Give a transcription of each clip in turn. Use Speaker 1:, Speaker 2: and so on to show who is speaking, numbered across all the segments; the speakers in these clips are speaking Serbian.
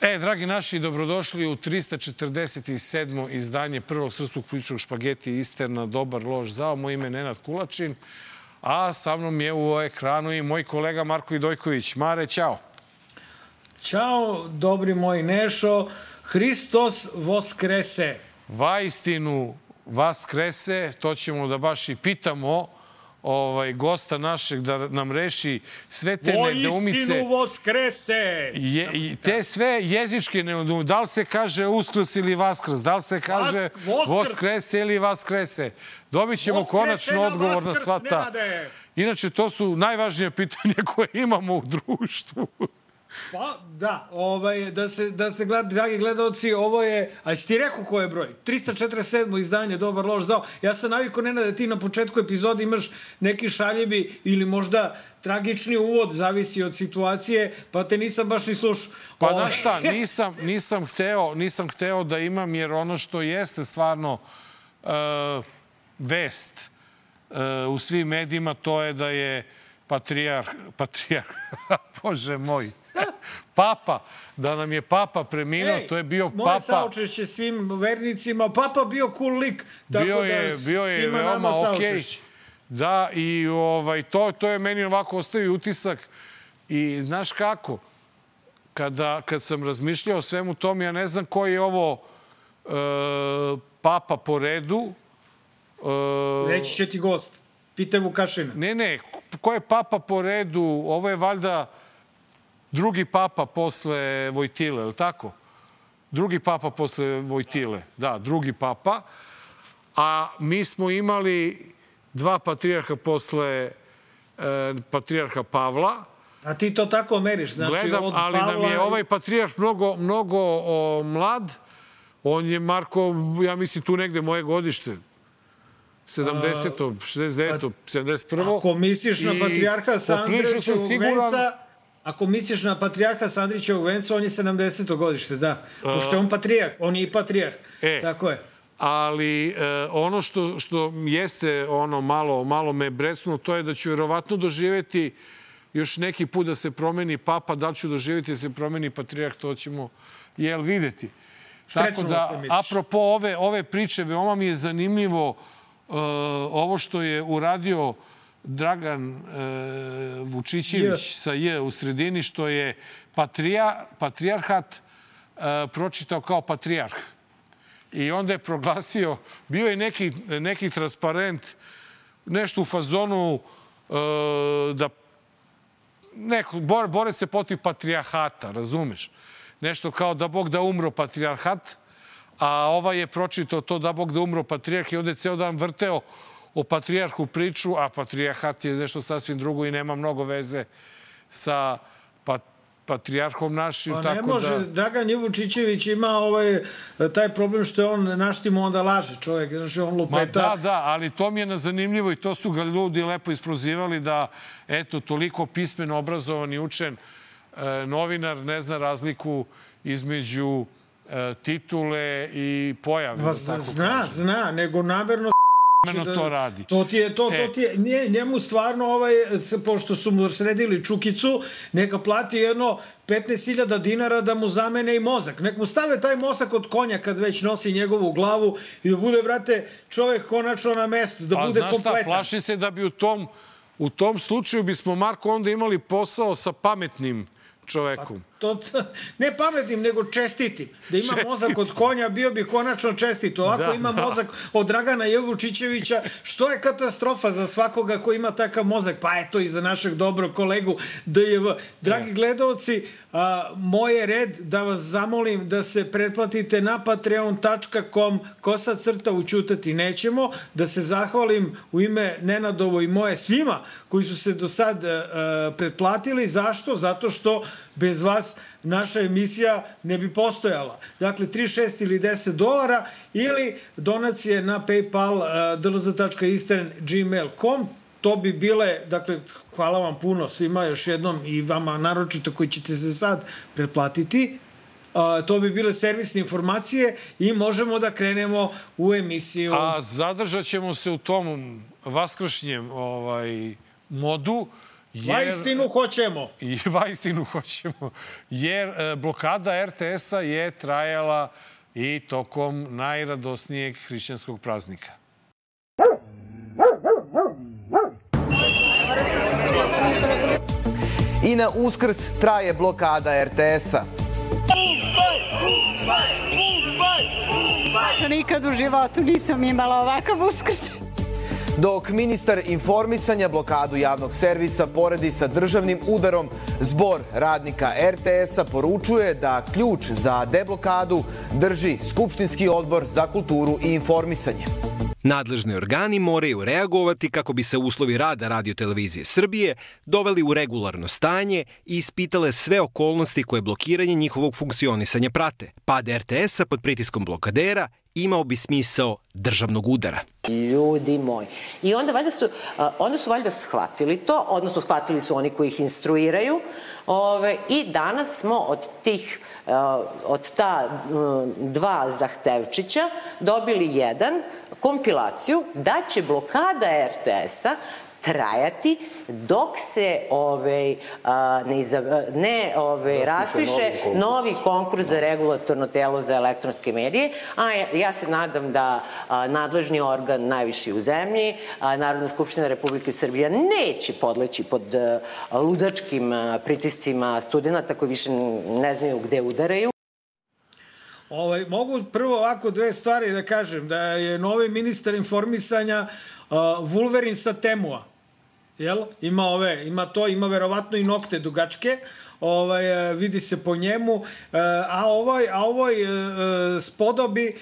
Speaker 1: Dragi naši, dobrodošli u 347. izdanje prvog srpskog političkog špageti Isterna, dobar, loš, zao. Moje ime je Nenad Kulačin, a sa mnom je u ekranu i moj kolega Marko Idojković. Mare, ćao.
Speaker 2: Ćao, dobri moj Nešo. Hristos Voskrese.
Speaker 1: Vaistinu Vaskrese, to ćemo da baš i pitamo gosta našeg da nam reši sve te nedoumice.
Speaker 2: Voistinu Voskrese!
Speaker 1: Te sve jezičke nedoumice. Da li se kaže Uskrs ili Vaskrs? Da li se kaže Voskrese ili Vaskrese? Dobit ćemo konačno odgovor na sva ta. Inače, to su najvažnije pitanja koje imamo u društvu.
Speaker 2: Pa, da. Da se dragi gledalci, ovo je... A si ti rekao ko je broj? 347. izdanje, dobar, loš, zao. Ja sam navikao, Nenad, da ti na početku epizode imaš neki šaljivi ili možda tragični uvod, zavisi od situacije, pa te nisam baš ni slušao.
Speaker 1: Pa, znaš šta, nisam hteo da imam, jer ono što jeste stvarno vest u svim medijima, to je da je patrijarh, Bože moj, Papa, da nam je Papa preminuo, to je bio Papa... Moje
Speaker 2: saučešće svim vernicima, Papa bio cool lik,
Speaker 1: bio je veoma okej. Da, i to je meni ovako ostavio utisak. I znaš kako, kad sam razmišljao o svemu tom, ja ne znam koji je ovo Papa po redu.
Speaker 2: Reći će ti gost. Pitaj Vukašina.
Speaker 1: Ne, ko je Papa po redu? Ovo je valjda drugi Papa posle Vojtile, je li tako? Drugi Papa posle Vojtile. Da, drugi Papa. A mi smo imali dva patrijarha posle patrijarha Pavla.
Speaker 2: A ti to tako meriš?
Speaker 1: Gledam, ali nam je ovaj patrijarh mnogo mlad. On je, Marko, ja mislim tu negde moje godište. 70. 69. 71.
Speaker 2: Ako misliš na patrijarha Sandrićevog venca, on je 70. godište, da. Pošto je on patrijarh, on je i patrijarh. Tako je.
Speaker 1: Ali ono što jeste malo me brecnulo, to je da ću verovatno doživjeti još neki put da se promeni Papa, da li ću doživjeti da se promeni patrijarh, to ćemo videti. Tako da, apropo ove priče, veoma mi je zanimljivo ovo što je uradio Dragan Vučićević sa J u sredini, što je patrijarhat pročitao kao patrijarh. I onda je proglasio, bio je neki transparent, nešto u fazonu da bore se protiv patrijarhata, razumeš? Nešto kao da Bog da umro patrijarhat, a ovaj je pročitao to da Bog da umro patrijarh i onda je ceo dan vrteo o patrijarhu priču, a patrijarhat je nešto sasvim drugo i nema mnogo veze sa patrijarhom našim.
Speaker 2: Pa ne može, Dragan Vučićević ima taj problem što je on naštimo onda laže čovjek, znači on lupeta.
Speaker 1: Da, ali to mi je zanimljivo i to su ga ljudi lepo isprozivali da, eto, toliko pismeno obrazovan i učen novinar ne zna razliku između titule i pojave.
Speaker 2: Zna, nego namerno
Speaker 1: to radi.
Speaker 2: To ti je, njemu stvarno, pošto su mu sredili čukicu, neka plati jedno 15.000 dinara da mu zamene i mozak. Nek mu stave taj mozak od konja kad već nosi njegovu glavu i da bude, brate, čovek konačno na mestu, da bude kompletan.
Speaker 1: Znaš šta, plaši se da bi u tom slučaju bismo, Marko, onda imali posao sa pametnim čovekom.
Speaker 2: Ne pametnim, nego čestitim. Da ima mozak od konja, bio bi konačno čestit. Ovako ima mozak od Dragana Vučićevića, što je katastrofa za svakoga ko ima takav mozak. Pa eto i za našeg dobrog kolegu DJV. Dragi gledalci, moj je red da vas zamolim da se pretplatite na patreon.com /ućutati nećemo. Da se zahvalim u ime Nenadovo i moje svima koji su se do sad pretplatili. Zašto? Zato što bez vas naša emisija ne bi postojala. Dakle, 3, 6 ili $10 ili donacije na PayPal dlz.istern@gmail.com. To bi bile, dakle, hvala vam puno svima još jednom i vama naročito koji ćete se sad pretplatiti. To bi bile servisne informacije i možemo da krenemo u emisiju.
Speaker 1: A zadržat ćemo se u tom vaskršnjem modu
Speaker 2: Vaistinu hoćemo.
Speaker 1: I vaistinu hoćemo. Jer blokada RTS-a je trajala i tokom najradosnijeg hrišćanskog praznika.
Speaker 3: I na Uskrs traje blokada RTS-a.
Speaker 4: Nikad u životu nisam imala ovakav Uskrs.
Speaker 3: Dok ministar informisanja blokadu javnog servisa poredi sa državnim udarom, Zbor radnika RTS-a poručuje da ključ za deblokadu drži Skupštinski odbor za kulturu i informisanje.
Speaker 5: Nadležni organi moraju reagovati kako bi se uslovi rada Radio-televizije Srbije doveli u regularno stanje i ispitale sve okolnosti koje blokiranje njihovog funkcionisanja prate. Pad RTS-a pod pritiskom blokadera imao bi smisao državnog udara.
Speaker 6: Ljudi moji. I onda su valjda shvatili to, odnosno shvatili su oni koji ih instruiraju i danas smo od ta dva zahtevčića dobili kompilaciju da će blokada RTS-a trajati dok se ne raspiše novi konkurs za regulatorno telo za elektronske medije. A ja se nadam da nadležni organ najviši u zemlji, Narodna skupština Republike Srbije, neće podleći pod ludačkim pritiscima studenta koji više ne znaju gde udaraju.
Speaker 2: Mogu prvo ovako dve stvari da kažem, da je novi ministar informisanja Vulverin sa Temua. Ima verovatno i nokte dugačke, vidi se po njemu, a ovoj spodobi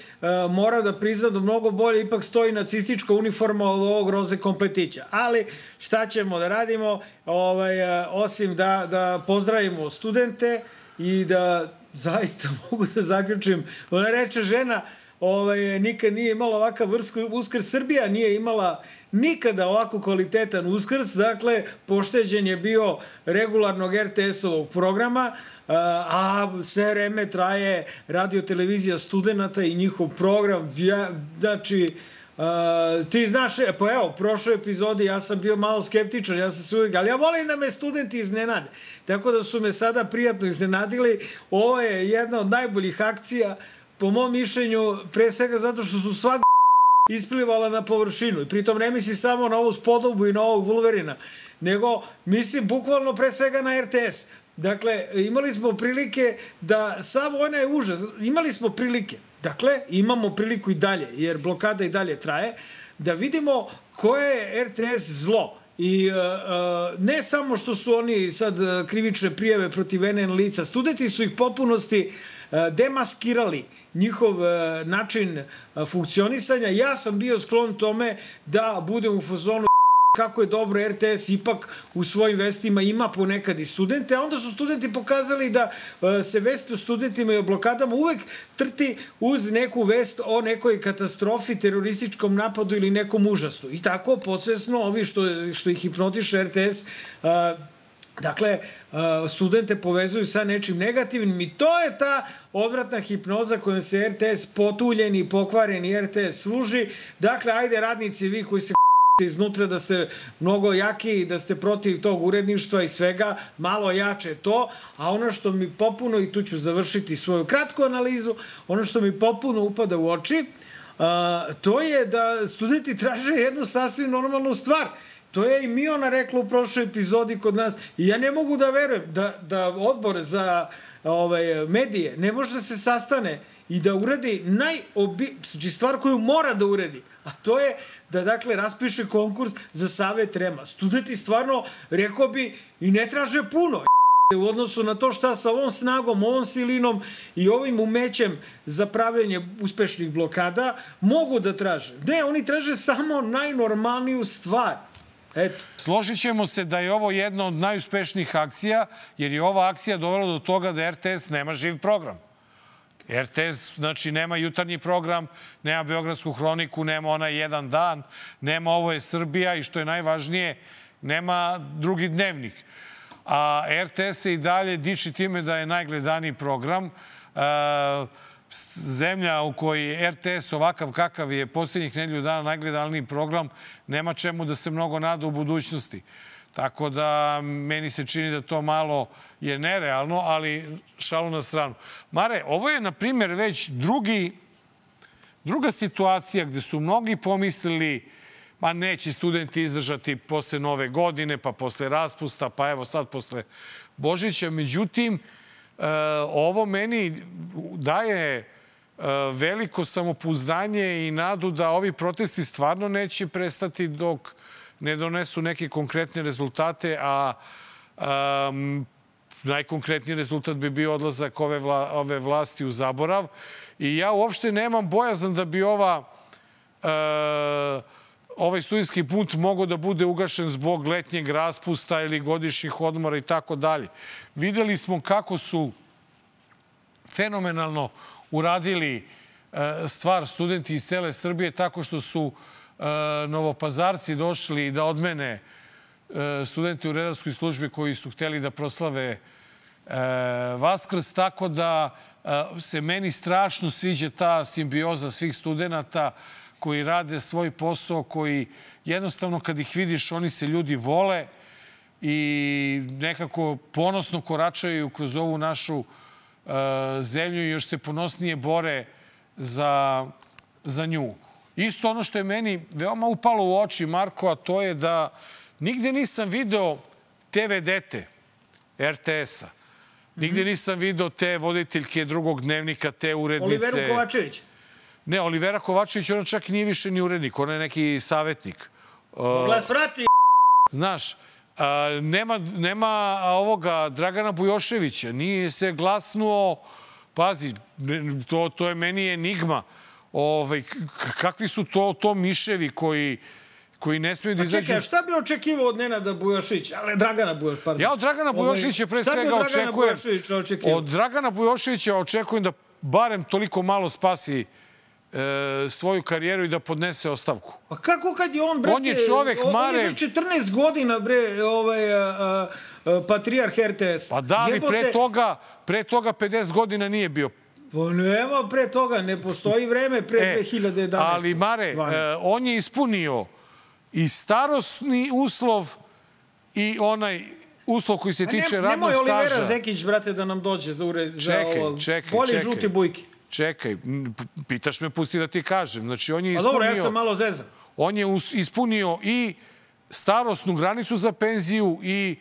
Speaker 2: mora da prizna da mnogo bolje ipak stoji nacistička uniforma od ovog roze kompetića. Ali šta ćemo da radimo, osim da pozdravimo studente i da zaista mogu da zaključim. Ona reče žena, nikad nije imala ovakav Uskrs, Srbija nije imala nikada ovako kvalitetan Uskrs, dakle, pošteđen je bio regularnog RTS-ovog programa, a sve vreme traje Radio-televizija studenta i njihov program. Znači, ti znaš, pa evo, u prošloj epizodi ja sam bio malo skeptičan, ja sam se uvijek, ali ja volim da me studenti iznenade. Tako da su me sada prijatno iznenadili. Ovo je jedna od najboljih akcija, po mom mišljenju, pre svega zato što su sva isplivala na površinu. I pritom ne misli samo na ovu spodobu i na ovog Vulverina, nego mislim bukvalno pre svega na RTS. Dakle, imali smo prilike da samo onaj užas, imali smo prilike, dakle, imamo priliku i dalje, jer blokada i dalje traje, da vidimo koje je RTS zlo. I ne samo što su oni sad krivične prijave protiv NN lica, studenti su ih popunosti demaskirali njihov način funkcionisanja. Ja sam bio sklon tome da budem u fazonu kako je dobro RTS ipak u svojim vestima ima ponekad i studente, a onda su studenti pokazali da se vest o studentima i o blokadama uvek trti uz neku vest o nekoj katastrofi, terorističkom napadu ili nekom užasu. I tako posvesno ovi što ih hipnotiše RTS, dakle, studente povezuju sa nečim negativnim i to je ta odvratna hipnoza kojom se RTS potuljeni i pokvareni RTS služi. Dakle, ajde radnici, vi koji se iznutra da ste mnogo jaki i da ste protiv tog uredništva i svega, malo jače to, a ono što mi popuno, i tu ću završiti svoju kratku analizu, ono što mi popuno upada u oči, to je da studenti traže jednu sasvim normalnu stvar. To je i Miona rekla u prošloj epizodi kod nas i ja ne mogu da verujem da odbor za medije ne može da se sastane i da uradi stvar koju mora da uredi, a to je da, dakle, raspiše konkurs za Savet REM-a. Studenti stvarno, rekao bi, i ne traže puno u odnosu na to šta sa ovom snagom, ovom silinom i ovim umećem za pravljenje uspešnih blokada mogu da traže. Ne, oni traže samo najnormalniju stvar. Eto.
Speaker 1: Složit ćemo se da je ovo jedna od najuspešnijih akcija, jer je ova akcija dovela do toga da RTS nema živ program. RTS, znači, nema jutarnji program, nema Beogradsku hroniku, nema onaj jedan dan, nema Ovo je Srbija i što je najvažnije, nema drugi dnevnik. A RTS se i dalje diči time da je najgledaniji program. Zemlja u kojoj RTS ovakav kakav je posljednjih nedelju dana najgledaniji program, nema čemu da se mnogo nada u budućnosti. Tako da meni se čini da to malo je nerealno, ali šalu na stranu. Mare, ovo je, na primjer, već druga situacija gde su mnogi pomislili pa neće studenti izdržati posle Nove godine, pa posle raspusta, pa evo sad posle Božića. Međutim, ovo meni daje veliko samopouzdanje i nadu da ovi protesti stvarno neće prestati dok ne donesu neke konkretne rezultate, a najkonkretniji rezultat bi bio odlazak ove vlasti u zaborav. I ja uopšte nemam bojazan da bi ovaj studentski bunt mogao da bude ugašen zbog letnjeg raspusta ili godišnjih odmora i tako dalje. Videli smo kako su fenomenalno uradili stvar studenti iz cele Srbije tako što su Novopazarci došli da odmene studenti u redarskoj službi koji su hteli da proslave Vaskrs, tako da se meni strašno sviđa ta simbioza svih studenta koji rade svoj posao, koji jednostavno kad ih vidiš, oni se ljudi vole i nekako ponosno koračaju kroz ovu našu zemlju i još se ponosnije bore za nju. Isto ono što je meni veoma upalo u oči, Marko, a to je da nigde nisam video te vedete RTS-a. Nigde nisam video te voditeljke Drugog dnevnika, te urednice.
Speaker 2: Oliveru Kovačević.
Speaker 1: Ne, Olivera Kovačević, ona čak nije više ni urednik, ona je neki savjetnik.
Speaker 2: Mogla svrati.
Speaker 1: Znaš, nema ovoga Dragana Bujoševića, nije se glasnuo, pazi, to je meni enigma. Kakvi su to miševi koji ne smiju da izađu...
Speaker 2: Čekaj, šta bi očekivao od Nenada Bujoševića? Ali Dragana Bujoševića, pardon.
Speaker 1: Ja od Dragana Bujoševića pre svega očekujem... Od Dragana Bujoševića očekujem da barem toliko malo spasi svoju karijeru i da podnese ostavku.
Speaker 2: Pa kako kad je on, brate...
Speaker 1: On je čovek, Mare...
Speaker 2: On je 14 godina, bre, patrijarh RTS.
Speaker 1: Pa da, ali pre toga 50 godina nije bio.
Speaker 2: Pa nema pre toga, ne postoji vreme pre 2011.
Speaker 1: Ali, Mare, on je ispunio i starosni uslov i onaj uslov koji se tiče radnog staža.
Speaker 2: Nemoj Olivera Zekić, brate, da nam dođe za ovo.
Speaker 1: Čekaj.
Speaker 2: Bolje žuti bujki.
Speaker 1: Čekaj, pitaš me, pusti da ti kažem. Znači, on je ispunio...
Speaker 2: A dobro, ja sam malo zezan.
Speaker 1: On je ispunio i starosnu granicu za penziju i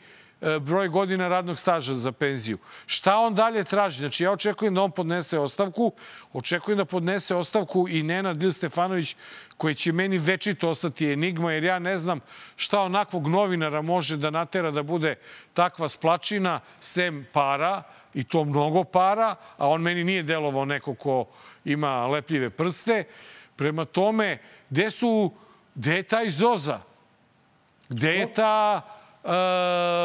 Speaker 1: broj godina radnog staža za penziju. Šta on dalje traži? Znači, ja očekujem da on podnese ostavku. Očekujem da podnese ostavku i Nenad Lj. Stefanović, koji će meni večito ostati enigma, jer ja ne znam šta onakvog novinara može da natera da bude takva splačina, sem para, i to mnogo para, a on meni nije delovao neko ko ima lepljive prste. Prema tome, gde je taj Zoza? Gde je ta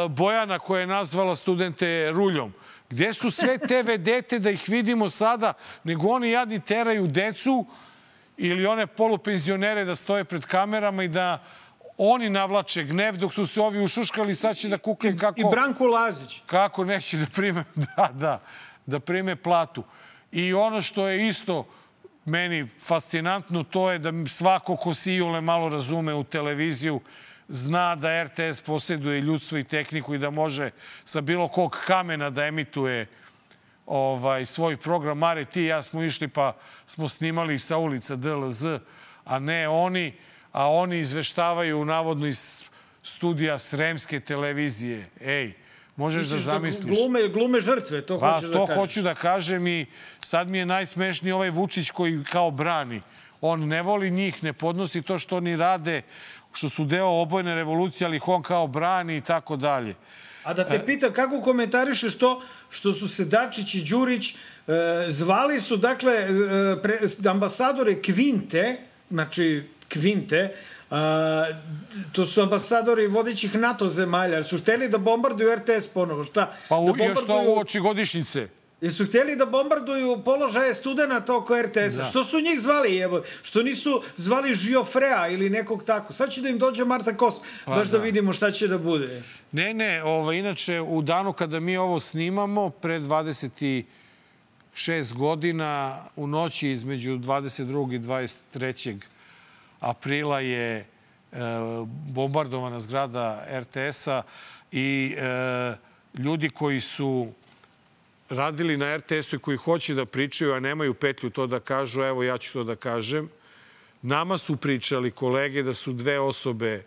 Speaker 1: Bojana koja je nazvala studente ruljom? Gde su sve te vedete da ih vidimo sada, nego oni jadni teraju decu ili one polupenzionere da stoje pred kamerama i da oni navlače gnev, dok su se ovi ušuškali, sad će da kukaju kako...
Speaker 2: I Branko Lazić.
Speaker 1: Kako neće da prime, da prime platu. I ono što je isto meni fascinantno, to je da svako ko si iole malo razume u televiziju, zna da RTS posjeduje ljudstvo i tehniku i da može sa bilo kog kamena da emituje svoj program. Mare, ti i ja smo išli pa smo snimali sa ulica DLZ, a ne oni. A oni izveštavaju navodno iz studija Sremske televizije. Ej, možeš da zamisliš.
Speaker 2: Glume žrtve, to hoćeš da kažeš.
Speaker 1: To hoću da kažem i sad mi je najsmešniji ovaj Vučić koji kao brani. On ne voli njih, ne podnosi to što oni rade, što su deo obojne revolucije, ali ih on kao brani i tako dalje.
Speaker 2: A da te pitam, kako komentarišeš to što su se Dačić i Đurić zvali su, dakle, ambasadore Kvinte, znači Kvinte, to su ambasadori vodećih NATO zemalja, su hteli da bombarduju RTS ponovo, šta?
Speaker 1: Pa još to u oči godišnjice.
Speaker 2: Jesu hteli da bombarduju položaje studenta oko RTS-a. Što su njih zvali, evo? Što nisu zvali Žiofrea ili nekog tako? Sad će da im dođe Marta Kos, baš da vidimo šta će da bude.
Speaker 1: Ne, inače, u danu kada mi ovo snimamo, pre 26 godina, u noći između 22. i 23. aprila je bombardovana zgrada RTS-a i ljudi koji su radili na RTS-u i koji hoće da pričaju, a nemaju petlju to da kažu, evo ja ću to da kažem. Nama su pričali kolege da su 2 osobe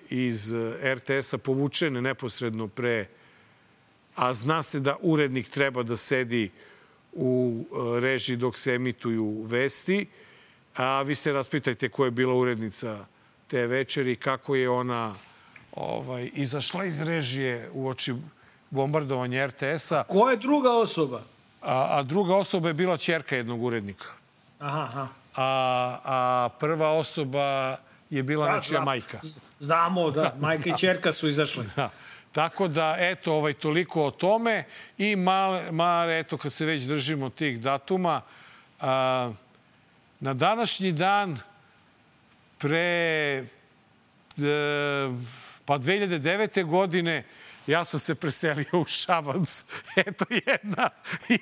Speaker 1: iz RTS-a povučene neposredno pre, a zna se da urednik treba da sedi u režiji dok se emituju vesti. A vi se raspitajte ko je bila urednica te večeri, kako je ona izašla iz režije uoči bombardovanja RTS-a.
Speaker 2: Ko je druga osoba?
Speaker 1: A druga osoba je bila ćerka jednog urednika.
Speaker 2: Aha.
Speaker 1: A prva osoba je bila nečija majka.
Speaker 2: Znamo, da. Majka i ćerka su izašle.
Speaker 1: Da. Tako da, eto, toliko o tome. I eto, kad se već držimo tih datuma, na današnji dan pre 2009. godine ja sam se preselio u Šabac. Eto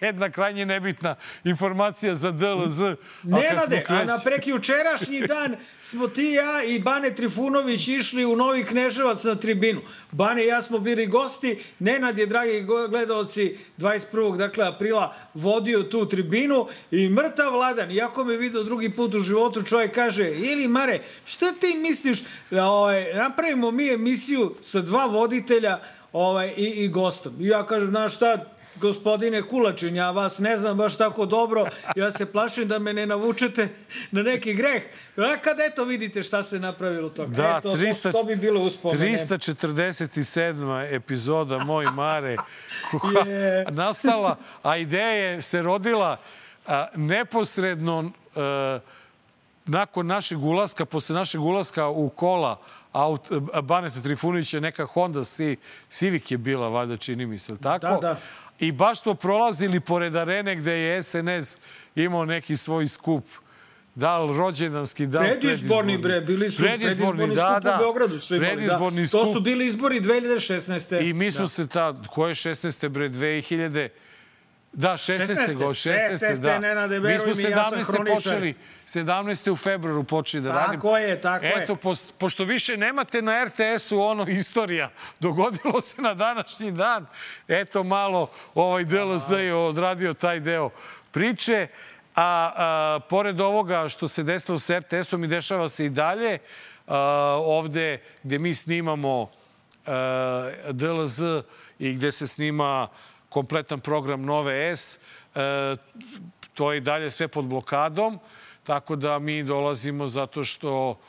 Speaker 1: jedna krajnje nebitna informacija za DLZ.
Speaker 2: Nenade, a na prekjučerašnji dan smo ti, ja i Bane Trifunović išli u Novi Kneževac na tribinu. Bane i ja smo bili gosti. Nenad je, dragi gledalci, 21. dakle aprila vodio tu tribinu i mrtav Vladan, iako me vidio drugi put u životu, čovjek kaže, ili Mare, šta ti misliš da napravimo mi emisiju sa 2 voditelja i gostom. I ja kažem, znaš šta, gospodine Kulačin, ja vas ne znam baš tako dobro, ja se plašim da me ne navučete na neki greh. Kad eto vidite šta se napravilo toga.
Speaker 1: Da,
Speaker 2: to bi bilo uspomene.
Speaker 1: 347. epizoda Moj Mare nastala, a ideja se rodila neposredno nakon našeg ulaska, posle našeg ulaska u kola Baneta Trifunovića, neka Honda Civic je bila, valjda, čini mi se, tako?
Speaker 2: Da.
Speaker 1: I baš smo prolazili pored arene gde je SNS imao neki svoj skup. Da li rođendanski, da li
Speaker 2: predizborni, bre, bili su predizborni skup u Beogradu.
Speaker 1: Predizborni skup.
Speaker 2: To su bili izbori 2016.
Speaker 1: I mi smo se koje 16. bre, 2000... Da, 16. da.
Speaker 2: Nenade,
Speaker 1: mi smo
Speaker 2: veruj mi, ja sam hroničar.
Speaker 1: 17. u februaru počeli da radimo.
Speaker 2: Tako je.
Speaker 1: Eto, pošto više nemate na RTS-u istorija, dogodilo se na današnji dan, eto malo DLZ je odradio taj deo priče, a pored ovoga što se desilo s RTS-om i dešava se i dalje, ovde gde mi snimamo DLZ i gde se snima kompletan program Nove S, to je i dalje sve pod blokadom, tako da mi dolazimo zato što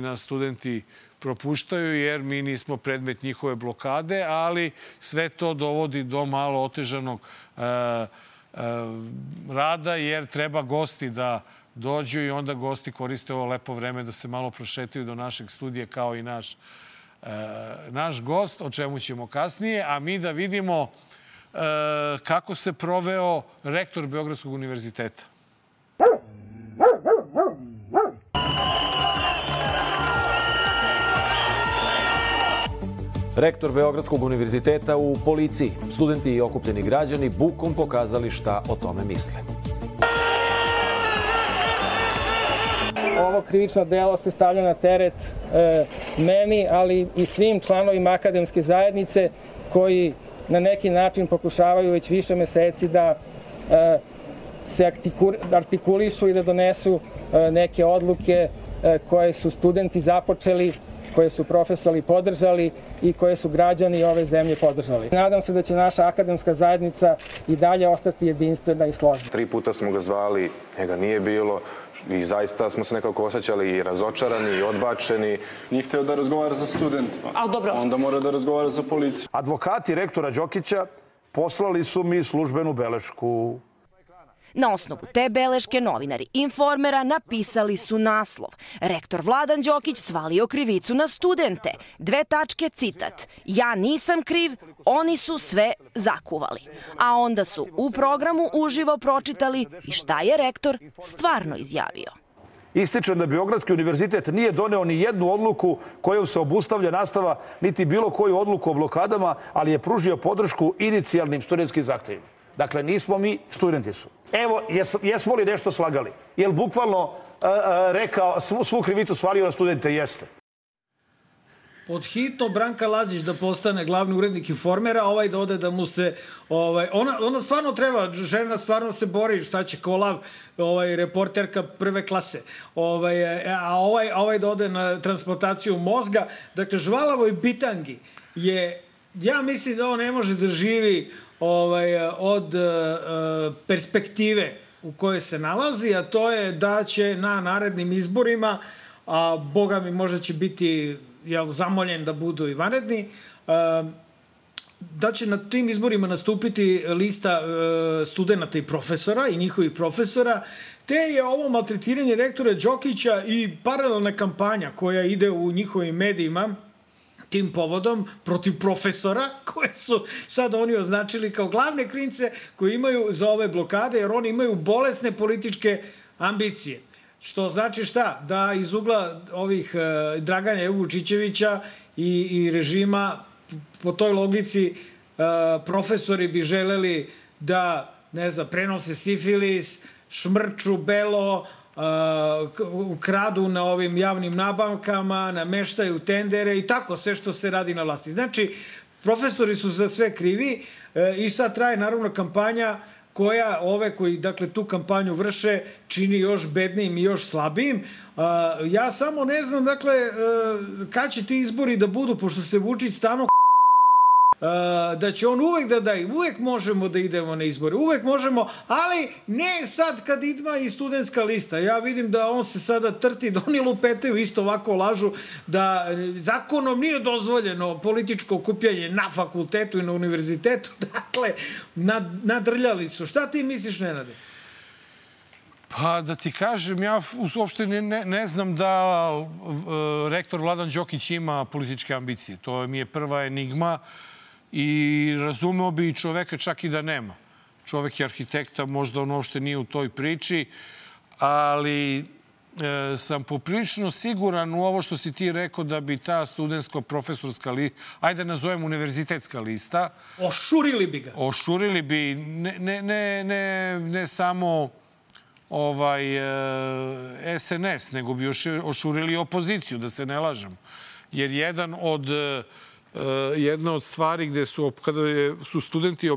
Speaker 1: nas studenti propuštaju, jer mi nismo predmet njihove blokade, ali sve to dovodi do malo otežanog rada, jer treba gosti da dođu i onda gosti koriste ovo lepo vreme da se malo prošetaju do našeg studija kao i naš gost, o čemu ćemo kasnije, a mi da vidimo kako se proveo rektor Beogradskog univerziteta.
Speaker 7: Rektor Beogradskog univerziteta u policiji. Studenti i okupljeni građani bukom pokazali šta o tome misle.
Speaker 8: Ovo krivično delo se stavlja na teret meni, ali i svim članovima akademske zajednice koji na neki način pokušavaju već više meseci da se artikulišu i da donesu neke odluke koje su studenti započeli, koje su profesori podržali i koje su građani ove zemlje podržali. Nadam se da će naša akademska zajednica i dalje ostati jedinstvena i složna.
Speaker 9: 3 puta smo ga zvali, njega nije bilo i zaista smo se nekako osjećali i razočarani i odbačeni.
Speaker 10: Nije hteo da razgovara sa studentima. Onda mora da razgovara sa policijom.
Speaker 11: Advokati rektora Đokića poslali su mi službenu belešku.
Speaker 12: Na osnovu te beleške novinari Informera napisali su naslov. Rektor Vladan Đokić svalio krivicu na studente. 2 tačke, citat. Ja nisam kriv, oni su sve zakuvali. A onda su u programu uživo pročitali i šta je rektor stvarno izjavio.
Speaker 11: Ističem da Beogradski univerzitet nije doneo ni jednu odluku kojom se obustavlja nastava, niti bilo koju odluku o blokadama, ali je pružio podršku inicijalnim studentskim zahtevima. Dakle, nismo mi, studenti su. Evo, jesmo li nešto slagali? Jel bukvalno rekao, svu krivicu svalio na studente? Jeste.
Speaker 2: Pod hitno Branka Lazić da postane glavni urednik Informera, ovaj da ode da mu se... Ona stvarno treba, žena stvarno se bori, šta će, kolav, reporterka prve klase. A ovaj da ode na transplantaciju mozga. Dakle, Žvalavoj bitangi je... Ja mislim da on ne može da živi od perspektive u kojoj se nalazi, a to je da će na narednim izborima, a boga mi možda će biti zamoljen da budu i vanredni, da će na tim izborima nastupiti lista studenta i profesora i njihovih profesora, te je ovo maltretiranje rektora Đokića i paralelna kampanja koja ide u njihovim medijima tim povodom protiv profesora koje su sad oni označili kao glavne klince koji imaju za ove blokade, jer oni imaju bolesne političke ambicije. Što znači šta? Da iz ugla ovih Dragana Vučićevića i režima po toj logici profesori bi želeli da, ne znam, prenose sifilis, šmrču belo, kradu na ovim javnim nabavkama, nameštaju tendere i tako sve što se radi na vlasti. Znači, profesori su za sve krivi i sad traje naravno kampanja koja ove koji dakle tu kampanju vrše čini još bednijim i još slabijim. Ja samo ne znam dakle kad će ti izbori da budu, pošto se Vučić stalno da će on uvek da daje, uvek možemo da idemo na izbore, uvek možemo, ali ne sad kad ima i studentska lista. Ja vidim da on se sada trti, da oni lupetaju, isto ovako lažu, da zakonom nije dozvoljeno političko okupljanje na fakultetu i na univerzitetu. Dakle, nadrljali su. Šta ti misliš, Nenade?
Speaker 1: Pa da ti kažem, ja uopšte ne znam da rektor Vladan Đokić ima političke ambicije. To mi je prva enigma i razumeo bi čoveka čak i da nema. Čovek je arhitekta, možda on uopšte nije u toj priči, ali sam poprilično siguran u ovo što si ti rekao da bi ta studentsko-profesorska lista, ajde nazovem univerzitetska lista...
Speaker 2: Ošurili bi ga.
Speaker 1: Ošurili bi ne samo SNS, nego bi ošurili opoziciju, da se ne lažem. Jer jedna od stvari gde kada su studenti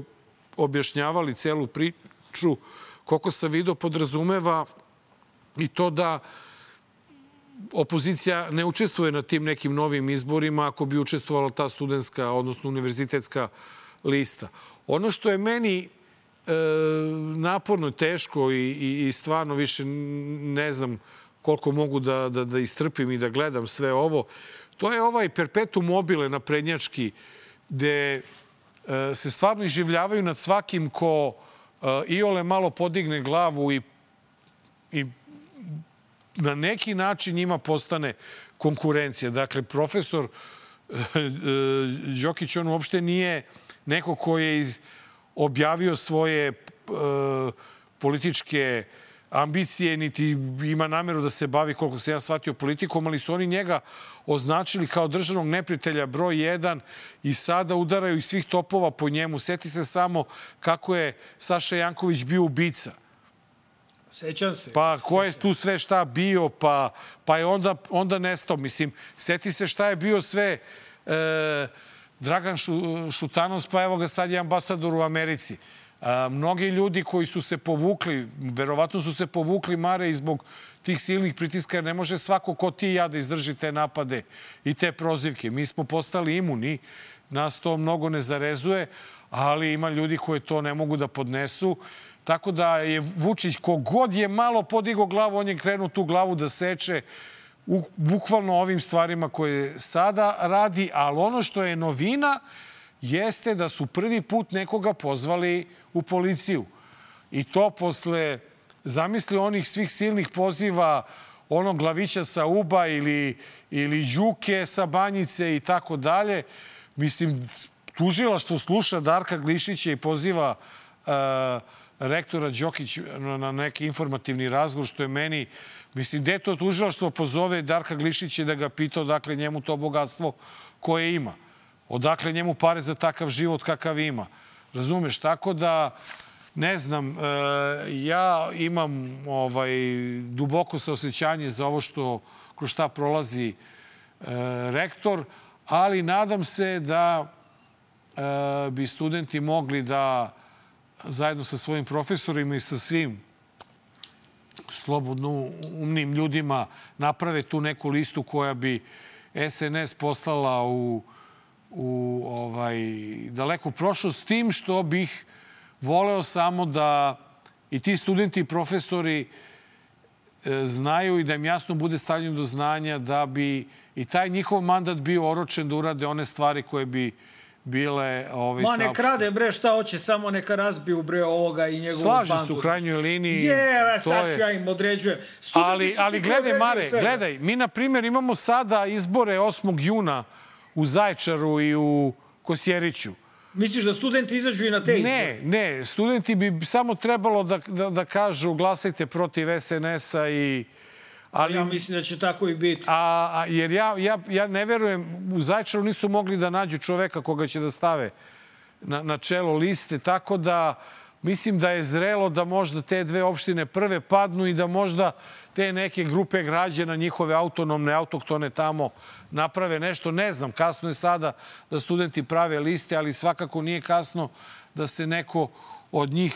Speaker 1: objašnjavali celu priču, koliko sam vidio, podrazumeva i to da opozicija ne učestvuje na tim nekim novim izborima ako bi učestvovala ta studentska, odnosno univerzitetska lista. Ono što je meni naporno, teško i stvarno više ne znam koliko mogu da istrpim i da gledam sve ovo, to je ovaj perpetuum mobile naprednjački, gde se stvarno iživljavaju nad svakim ko iole malo podigne glavu i na neki način njima postane konkurencija. Dakle, profesor Đokić, on uopšte nije neko ko je objavio svoje političke ambicije, niti ima nameru da se bavi, koliko se ja shvatio, politikom, ali su oni njega označili kao državnog neprijatelja broj 1 i sada udaraju iz svih topova po njemu. Sjeti se samo kako je Saša Janković bio ubica.
Speaker 2: Sećam se.
Speaker 1: Pa ko je tu sve šta bio, pa je onda nestao. Mislim, sjeti se šta je bio sve Dragan Šutanovs, pa evo ga sad je ambasador u Americi. Mnogi ljudi koji su se povukli, verovatno su se povukli, Mare, i zbog tih silnih pritiska, jer ne može svako ko ti i ja da izdrži te napade i te prozivke. Mi smo postali imuni, nas to mnogo ne zarezuje, ali ima ljudi koji to ne mogu da podnesu. Tako da je Vučić, kogod je malo podigao glavu, on je krenuo tu glavu da seče bukvalno ovim stvarima koje sada radi, ali ono što je novina jeste da su prvi put nekoga pozvali u policiju. I to posle, zamisli onih svih silnih poziva onog Glavića sa Uba ili Đuke sa Banjice i tako dalje. Mislim, tužilaštvo sluša Darka Glišića i poziva rektora Đokić na neki informativni razgovor, što je meni... Mislim, gde to tužilaštvo pozove Darka Glišića da ga pita odakle njemu to bogatstvo koje ima. Odakle njemu pare za takav život kakav ima. Razumeš? Tako da ne znam, ja imam duboko saosećanje za ovo kroz šta prolazi rektor, ali nadam se da bi studenti mogli da zajedno sa svojim profesorima i sa svim slobodno umnim ljudima naprave tu neku listu koja bi SNS poslala u daleku prošlost, s tim što bih voleo samo da i ti studenti i profesori znaju i da im jasno bude stavljeno do znanja da bi i taj njihov mandat bio oročen da urade one stvari koje bi bile
Speaker 2: Ma nek rade bre šta hoće, samo neka razbiju bre ovoga i njegovu bandu.
Speaker 1: Slažem se u krajnjoj liniji.
Speaker 2: Sad ću ja im određujem.
Speaker 1: Ali gledaj Mare, gledaj, mi na primjer imamo sada izbore 8. juna u Zaječaru i u Kosjeriću.
Speaker 2: Misliš da studenti izađu i na te izbore?
Speaker 1: Ne, studenti bi samo trebalo da kažu glasajte protiv SNS-a i...
Speaker 2: Ja mislim da će tako i biti.
Speaker 1: Jer ja ne verujem, u Zaječaru nisu mogli da nađu čoveka koga će da stave na čelo liste, tako da mislim da je zrelo da možda te dve opštine prve padnu i da možda te neke grupe građana, njihove autonomne, autohtone tamo naprave nešto. Ne znam, kasno je sada da studenti prave liste, ali svakako nije kasno da se neko od njih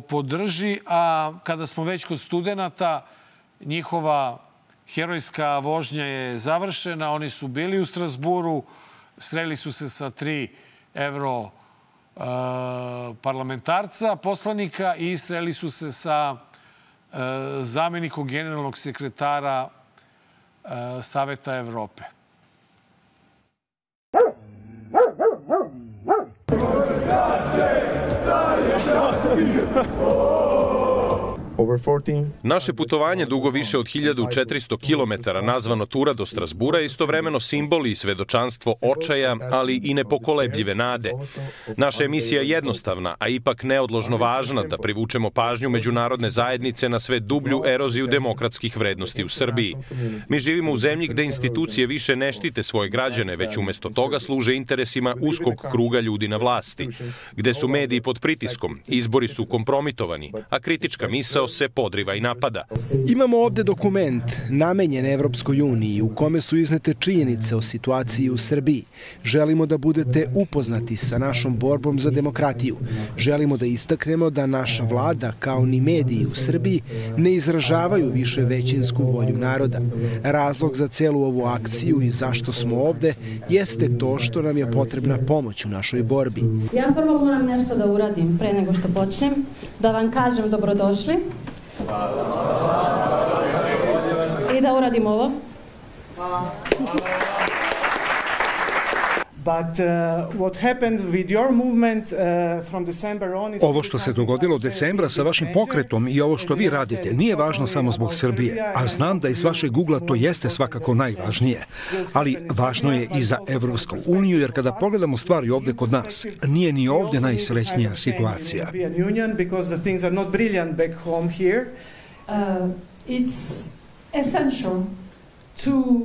Speaker 1: podrži. A kada smo već kod studenata, njihova herojska vožnja je završena. Oni su bili u Strasburu, sreli su se sa 3 parlamentarca, poslanika i sreli su se sa zamjenikom generalnog sekretara Saveta Evrope.
Speaker 13: Naše putovanje dugo više od 1400 km, nazvano Tura do Strasbura, je istovremeno simbol i svedočanstvo očaja, ali i nepokolebljive nade. Naša emisija je jednostavna, a ipak neodložno važna da privučemo pažnju međunarodne zajednice na sve dublju eroziju demokratskih vrednosti u Srbiji. Mi živimo u zemlji gde institucije više ne štite svoje građane, već umesto toga služe interesima uskog kruga ljudi na vlasti, gde su mediji pod pritiskom, izbori su kompromitovani, a kritička misao se podriva i napada.
Speaker 14: Imamo ovde dokument namenjen Evropskoj uniji u kome su iznete činjenice o situaciji u Srbiji. Želimo da budete upoznati sa našom borbom za demokratiju. Želimo da istaknemo da naša vlada, kao ni mediji u Srbiji, ne izražavaju više većinsku volju naroda. Razlog za celu ovu akciju i zašto smo ovde jeste to što nam je potrebna pomoć u našoj borbi.
Speaker 15: Ja prvo moram nešto da uradim pre nego što počnem, da vam kažem dobrodošli. I da uradim ovo.
Speaker 16: Ovo što se dogodilo od decembra sa vašim pokretom i ovo što vi radite nije važno samo zbog Srbije, a znam da iz vašeg ugla to jeste svakako najvažnije. Ali važno je i za Evropsku uniju, jer kada pogledamo stvari ovde kod nas, nije ni ovde najsrećnija situacija.
Speaker 15: It's essential to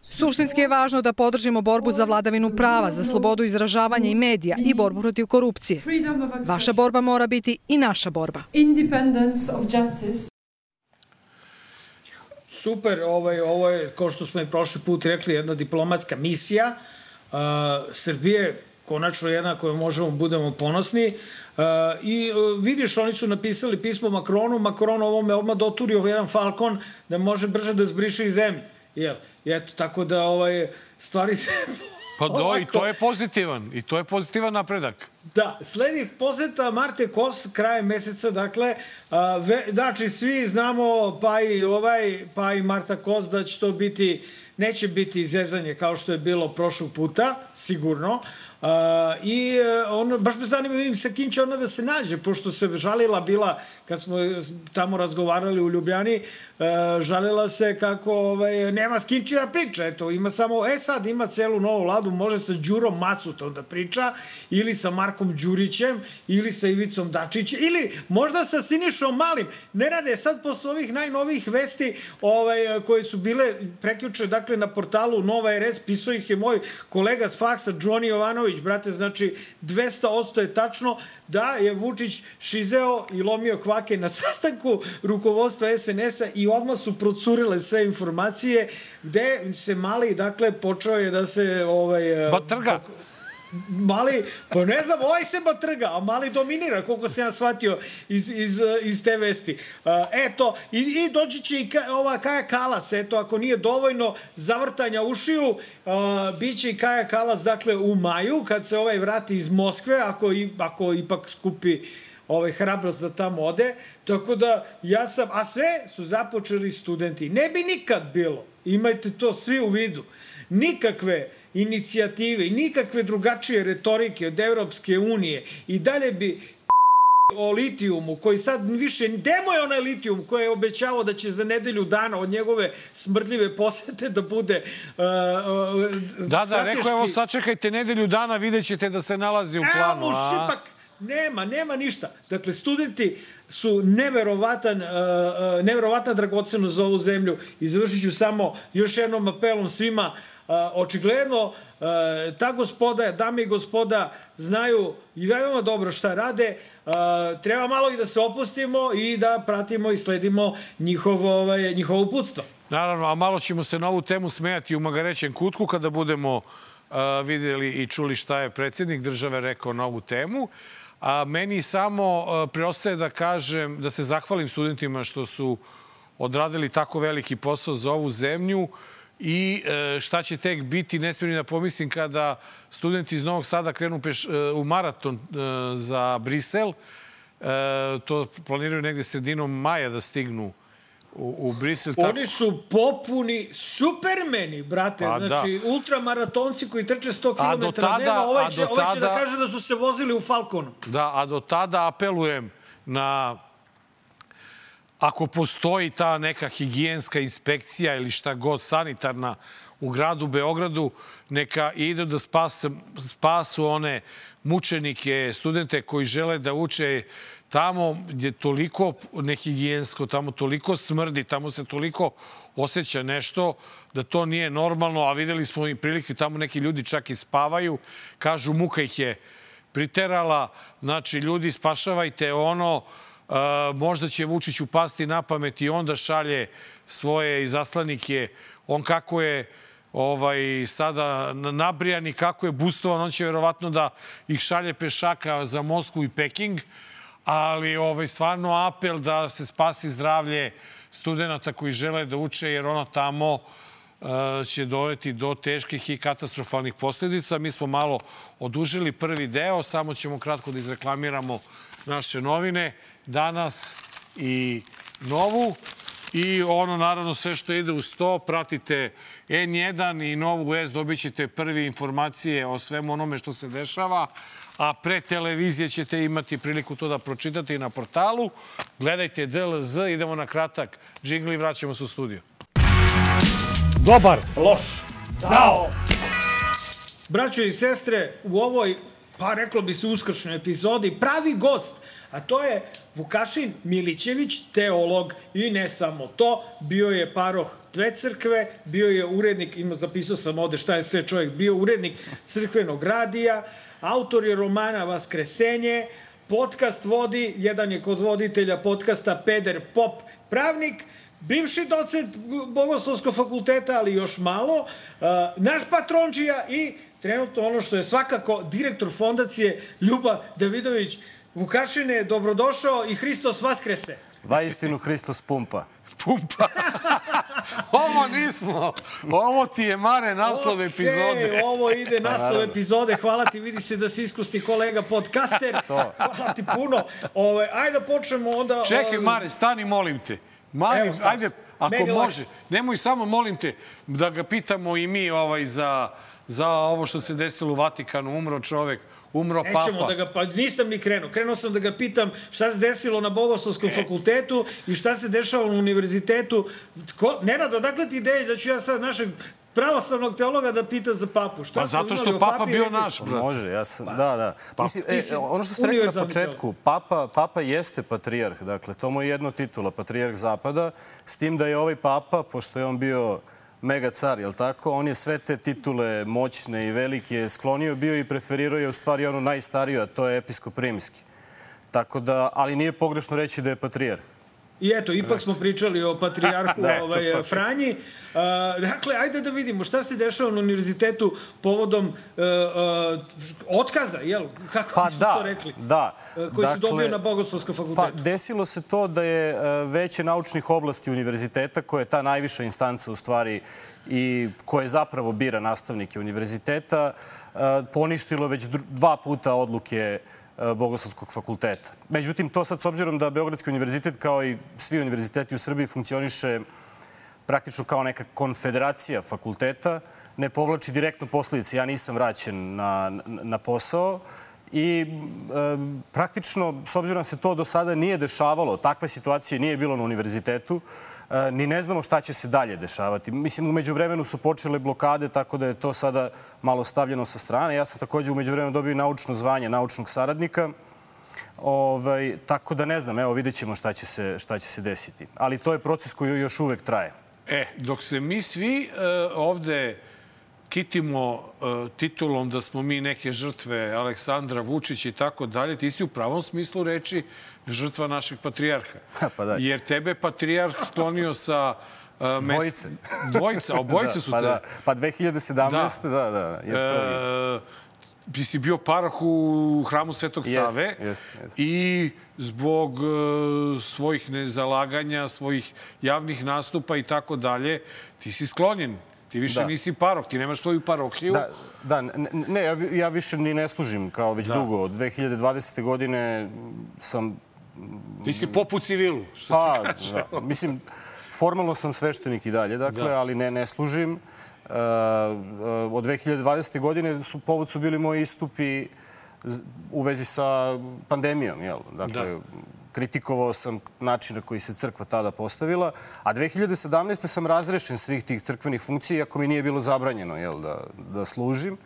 Speaker 17: Suštinski je važno da podržimo borbu za vladavinu prava, za slobodu izražavanja i medija i borbu protiv korupcije. Vaša borba mora biti i naša borba.
Speaker 2: Super, ovo je, kao što smo i prošli put rekli, jedna diplomatska misija Srbije, konačno jedna koju možemo budemo ponosni. I vidiš, oni su napisali pismo Makronu, Makron ovome odmah doturio jedan Falcon da može brže da zbriše iz zemlje. Eto, tako da stvari se...
Speaker 1: Pa do, i to je pozitivan. I to je pozitivan napredak.
Speaker 2: Da, sledi poseta Marte Kos krajem meseca, dakle, znači svi znamo, pa i Marta Kos, da će to biti, neće biti izrezanje kao što je bilo prošlog puta, sigurno. I baš me zanima vidim sa kim će ona da se nađe, pošto se žalila bila, kad smo tamo razgovarali u Ljubljani, žalila se kako nema s kim će da priča, eto, ima samo, sad ima celu novu vladu, može sa Đurom Macutom da priča, ili sa Markom Đurićem, ili sa Ivicom Dačićem, ili možda sa Sinišom Malim. Nenade, sad posle ovih najnovijih vesti koje su bile prekjuče, dakle, na portalu Nova RS, pisao ih je moj kolega s faksa, Džoni Jovanović. Đukanović, brate, znači 200% je tačno da je Vučić šizeo i lomio kvake na sastanku rukovodstva SNS-a i odmah su procurile sve informacije gde se Mali, dakle, počeo je da se...
Speaker 1: Batrga!
Speaker 2: Mali, pa ne znam, ovaj se batrga, a Mali dominira, koliko sam ja shvatio iz te vesti. Eto, i doći će i ova Kaja Kalas, eto, ako nije dovoljno zavrtanja ušiju, bit će i Kaja Kalas, dakle, u maju, kad se ovaj vrati iz Moskve, ako ipak skupi hrabrost da tamo ode. Tako da, a sve su započeli studenti. Ne bi nikad bilo, imajte to svi u vidu, nikakve inicijative i nikakve drugačije retorike od Evropske unije i dalje bi o litijumu, koji sad više, demo je onaj litijum koji je obećavao da će za nedelju dana od njegove smrdljive posete da bude
Speaker 1: Da, rekao je, evo sačekajte nedelju dana, vidjet ćete da se nalazi u planu.
Speaker 2: Evo, šipak, nema ništa. Dakle, studenti su neverovatna dragocenost za ovu zemlju i završit ću samo još jednom apelom svima. Očigledno, ta gospoda, dame i gospoda, znaju i veoma dobro šta rade. Treba malo i da se opustimo i da pratimo i sledimo njihovo uputstvo.
Speaker 1: Naravno, a malo ćemo se na ovu temu smejati u magarećem kutku kada budemo vidjeli i čuli šta je predsjednik države rekao na ovu temu. A meni samo preostaje da kažem, da se zahvalim studentima što su odradili tako veliki posao za ovu zemlju i šta će tek biti, ne smijem ni da pomislim kada studenti iz Novog Sada krenu u maraton za Brisel. To planiraju negde sredinom maja da stignu u Brisel.
Speaker 2: Oni su popuni supermeni, brate. Znači, ultramaratonci koji trče 100 km dnevno, ovaj će da kaže da su se vozili u Falconu.
Speaker 1: Da, a do tada apelujem na... Ako postoji ta neka higijenska inspekcija ili šta god sanitarna u gradu Beogradu, neka idu da spasu one mučenike, studente koji žele da uče tamo gdje je toliko nehigijensko, tamo toliko smrdi, tamo se toliko osjeća nešto da to nije normalno, a videli smo i prilike, tamo neki ljudi čak i spavaju, kažu muka ih je priterala, znači ljudi spašavajte ono, možda će Vučić upasti na pamet i onda šalje svoje izaslanike. On kako je sada nabrijan i kako je bustovan, on će verovatno da ih šalje pešaka za Moskvu i Peking, ali stvarno apel da se spasi zdravlje studenta koji žele da uče, jer ono tamo će dovesti do teških i katastrofalnih posljedica. Mi smo malo odužili prvi deo, samo ćemo kratko da izreklamiramo naše novine, Danas i Novu. I naravno, sve što ide uz to, pratite N1 i Novu S, dobit ćete prve informacije o svemu onome što se dešava, a pre televizije ćete imati priliku to da pročitate i na portalu. Gledajte DLZ, idemo na kratak džingl i vraćamo se u studio.
Speaker 11: Dobar,
Speaker 2: loš, zao. Braćo i sestre, u ovoj, pa reklo bi se, uskršnjoj epizodi, pravi gost, a to je Vukašin Milićević, teolog, i ne samo to, bio je paroh dve crkve, bio je urednik, zapisao sam ovde šta je sve čovjek bio, urednik crkvenog radija, autor je romana Vaskresenje, podcast vodi, jedan je kod voditelja podcasta Peder Pop, pravnik, bivši docent Bogoslovskog fakulteta, ali još malo, naš patronđija i trenutno ono što je svakako direktor fondacije Ljuba Davidović. Vukašine, dobrodošao i Hristos vaskrese.
Speaker 18: Vaistinu Hristos pumpa.
Speaker 1: Pumpa. Ovo nismo. Ovo ti je, Mare, naslov epizode.
Speaker 2: Ovo ide naslov epizode. Hvala ti, vidi se da si iskusni kolega podcaster. Hvala ti puno. Ajde da počnemo onda...
Speaker 1: Čekaj, Mare, stani, molim te. Ajde, ako može. Nemoj samo, molim te, da ga pitamo i mi za ovo što se desilo u Vatikanu. Umro čovek, umro papa.
Speaker 2: Nećemo da ga, pa nisam ni krenuo. Krenuo sam da ga pitam šta se desilo na Bogoslovskom fakultetu i šta se dešava na univerzitetu. Nenad, odakle ti ideje da ću ja sad našeg pravoslavnog teologa da pitam za papu?
Speaker 1: Pa zato što papa bio naš, brat.
Speaker 18: Može, ja sam, da. Mislim, ono što ste rekli na početku, papa jeste patrijarh, dakle, to mu je jedno titula, patrijarh Zapada, s tim da je ovaj papa, pošto je on bio mega car, jel tako? On je sve te titule moćne i velike sklonio bio i preferirao je u stvari ono najstariju, a to je episkop rimski. Tako da, ali nije pogrešno reći da je patrijarh.
Speaker 2: I eto, ipak smo pričali o patrijarhu Franji. Dakle, ajde da vidimo šta se dešava na univerzitetu povodom otkaza, jel? Kako su to rekli?
Speaker 18: Da.
Speaker 2: Koji se dobio na Bogoslovskom fakultetu.
Speaker 18: Pa desilo se to da je Veće naučnih oblasti univerziteta, koja je ta najviša instanca u stvari i koje zapravo bira nastavnike univerziteta, poništilo već 2 puta odluke Bogoslovskog fakulteta. Međutim, to sad s obzirom da Beogradski univerzitet, kao i svi univerziteti u Srbiji, funkcioniše praktično kao neka konfederacija fakulteta, ne povlači direktno posledice. Ja nisam vraćen na posao i praktično, s obzirom da se to do sada nije dešavalo, takve situacije nije bilo na univerzitetu, ni ne znamo šta će se dalje dešavati. Mislim, umeđu vremenu su počele blokade, tako da je to sada malo stavljeno sa strane. Ja sam također umeđu vremenu dobio naučno zvanje naučnog saradnika. Tako da ne znam, evo vidjet ćemo šta će se desiti. Ali to je proces koji još uvek traje.
Speaker 1: Dok se mi svi ovde kitimo titulom da smo mi neke žrtve Aleksandra Vučića i tako dalje, ti si u pravom smislu reči žrtva našeg patrijarha. Jer tebe patrijarh sklonio sa... Dvojica, obojice su te.
Speaker 18: Pa 2017. Da.
Speaker 1: Ti si bio parah u hramu Svetog Save i zbog svojih nezalaganja, svojih javnih nastupa i tako dalje, ti si sklonjen. Ti više nisi parok, ti nemaš svoju parohiju.
Speaker 18: Da, ne, ja više ni ne služim kao već dugo. Od 2020. godine sam...
Speaker 1: Ti si poput civilu, što se kaže.
Speaker 18: Mislim, formalno sam sveštenik i dalje, dakle, ali ne služim. Od 2020. godine povod su bili moji istupi u vezi sa pandemijom, jel? Dakle, kritikovao sam način na koji se crkva tada postavila, a 2017. sam razrešen svih tih crkvenih funkcija, iako mi nije bilo zabranjeno da služim,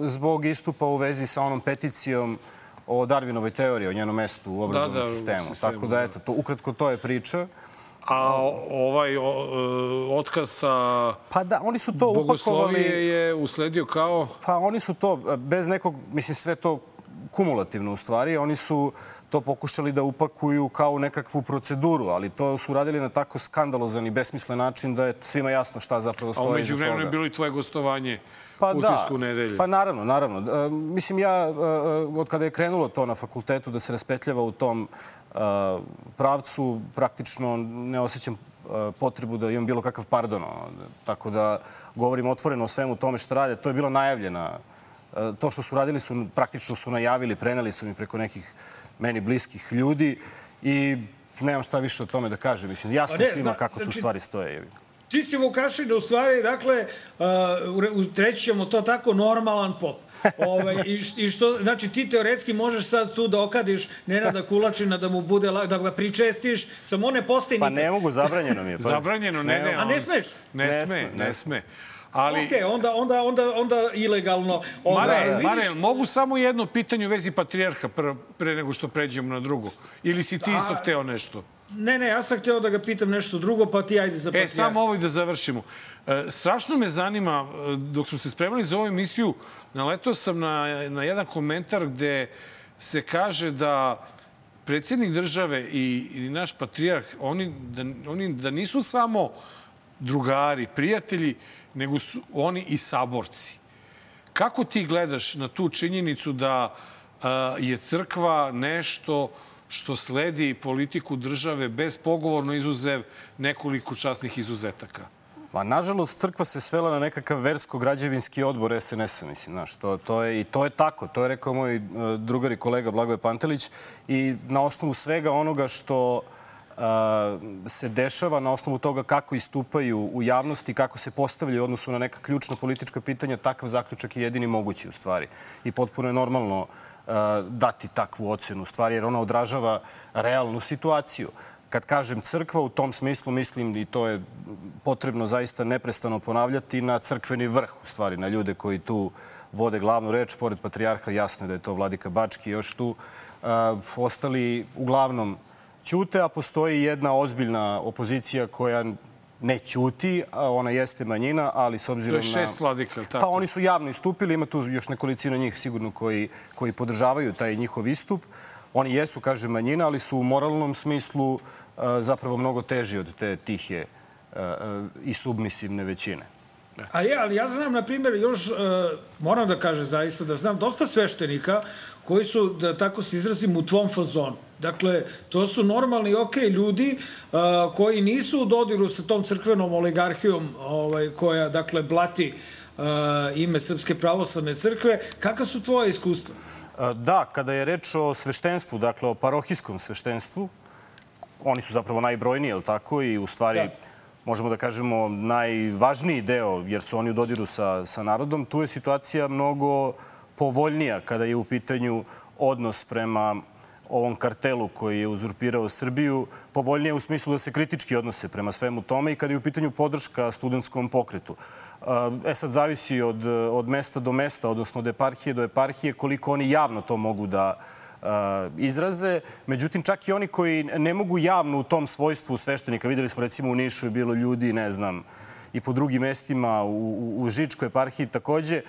Speaker 18: zbog istupa u vezi sa onom peticijom o Darwinovoj teoriji, o njenom mestu u obrazovnom sistemu. Tako da, eto, ukratko to je priča.
Speaker 1: A ovaj otkaz sa bogoslovije je usledio kao...
Speaker 18: Pa oni su to, bez nekog, mislim, sve to kumulativno u stvari, oni su to pokušali da upakuju kao u nekakvu proceduru, ali to su radili na tako skandalozan i besmislen način da je svima jasno šta zapravo stoji iza toga.
Speaker 1: A umeđu vremenu je bilo i tvoje gostovanje u Utisku nedelje.
Speaker 18: Pa naravno. Mislim, ja, od kada je krenulo to na fakultetu da se raspetljava u tom pravcu, praktično ne osjećam potrebu da imam bilo kakav pardon. Tako da govorim otvoreno o svemu tome što rade. To je bilo najavljena. To što su radili praktično su najavili, preneli su mi preko nekih meni bliskih ljudi i nemam šta više o tome da kažem. Mislim, jasno svima kako tu stvari stoje.
Speaker 2: Ti si Vukašin, u stvari, dakle, reći ćemo to tako, normalan pop. Znači, ti teoretski možeš sad tu da okadiš Nenada Kulačina, da mu bude, da ga pričestiš, samo ne postoji nikad.
Speaker 18: Pa ne mogu, zabranjeno mi je.
Speaker 1: Zabranjeno, ne.
Speaker 2: A ne smeš?
Speaker 1: Ne sme.
Speaker 2: Okej, onda ilegalno.
Speaker 1: Marel, mogu samo jedno pitanje u vezi patrijarha pre nego što pređemo na drugo? Ili si ti isto hteo nešto?
Speaker 2: Ne, ja sam hteo da ga pitam nešto drugo, pa ti ajde za patrijarha.
Speaker 1: Samo ovo i da završimo. Strašno me zanima, dok smo se spremali za ovu emisiju, naletao sam na jedan komentar gde se kaže da predsjednik države i naš patrijarh, oni da nisu samo drugari, prijatelji, nego su oni i saborci. Kako ti gledaš na tu činjenicu da je crkva nešto što sledi politiku države bezpogovorno izuzev nekoliko časnih izuzetaka?
Speaker 18: Pa, nažalost, crkva se svela na nekakav versko-građevinski odbor SNS-a, mislim, znaš. I to je tako. To je rekao moj drugar i kolega Blagoje Pantelić. I na osnovu svega onoga što se dešava, na osnovu toga kako istupaju u javnosti, kako se postavljaju u odnosu na neka ključna politička pitanja, takav zaključak je jedini mogući u stvari. I potpuno je normalno dati takvu ocenu u stvari, jer ona odražava realnu situaciju. Kad kažem crkva, u tom smislu mislim, i to je potrebno zaista neprestano ponavljati, na crkveni vrh, u stvari, na ljude koji tu vode glavnu reč. Pored patrijarha, jasno je da je to Vladika Bački, još tu ostali uglavnom ćute, a postoji jedna ozbiljna opozicija koja ne ćuti, ona jeste manjina, ali s obzirom na...
Speaker 1: To je 6 vladika, tako?
Speaker 18: Pa oni su javno istupili, ima tu još nekolicina njih sigurno koji podržavaju taj njihov istup. Oni jesu, kaže, manjina, ali su u moralnom smislu zapravo mnogo teži od te tihe i submisivne većine.
Speaker 2: Ali ja znam, na primjer, još, moram da kažem zaista, da znam dosta sveštenika koji su, da tako se izrazim, u tvom fazonu. Dakle, to su normalni, ljudi koji nisu u dodiru sa tom crkvenom oligarhijom koja, dakle, blati ime Srpske pravoslavne crkve. Kakva su tvoje iskustva?
Speaker 18: Da, kada je reč o sveštenstvu, dakle, o parohijskom sveštenstvu, oni su zapravo najbrojniji, je li tako? I u stvari... možemo da kažemo, najvažniji deo, jer su oni u dodiru sa narodom, tu je situacija mnogo povoljnija kada je u pitanju odnos prema ovom kartelu koji je uzurpirao Srbiju, povoljnije u smislu da se kritički odnose prema svemu tome i kada je u pitanju podrška studentskom pokretu. Sad zavisi od mesta do mesta, odnosno od eparhije do eparhije, koliko oni javno to mogu da izraze. Međutim, čak i oni koji ne mogu javno u tom svojstvu sveštenika, videli smo recimo u Nišu je bilo ljudi, ne znam, i po drugim mestima, u Žičkoj eparhiji takođe,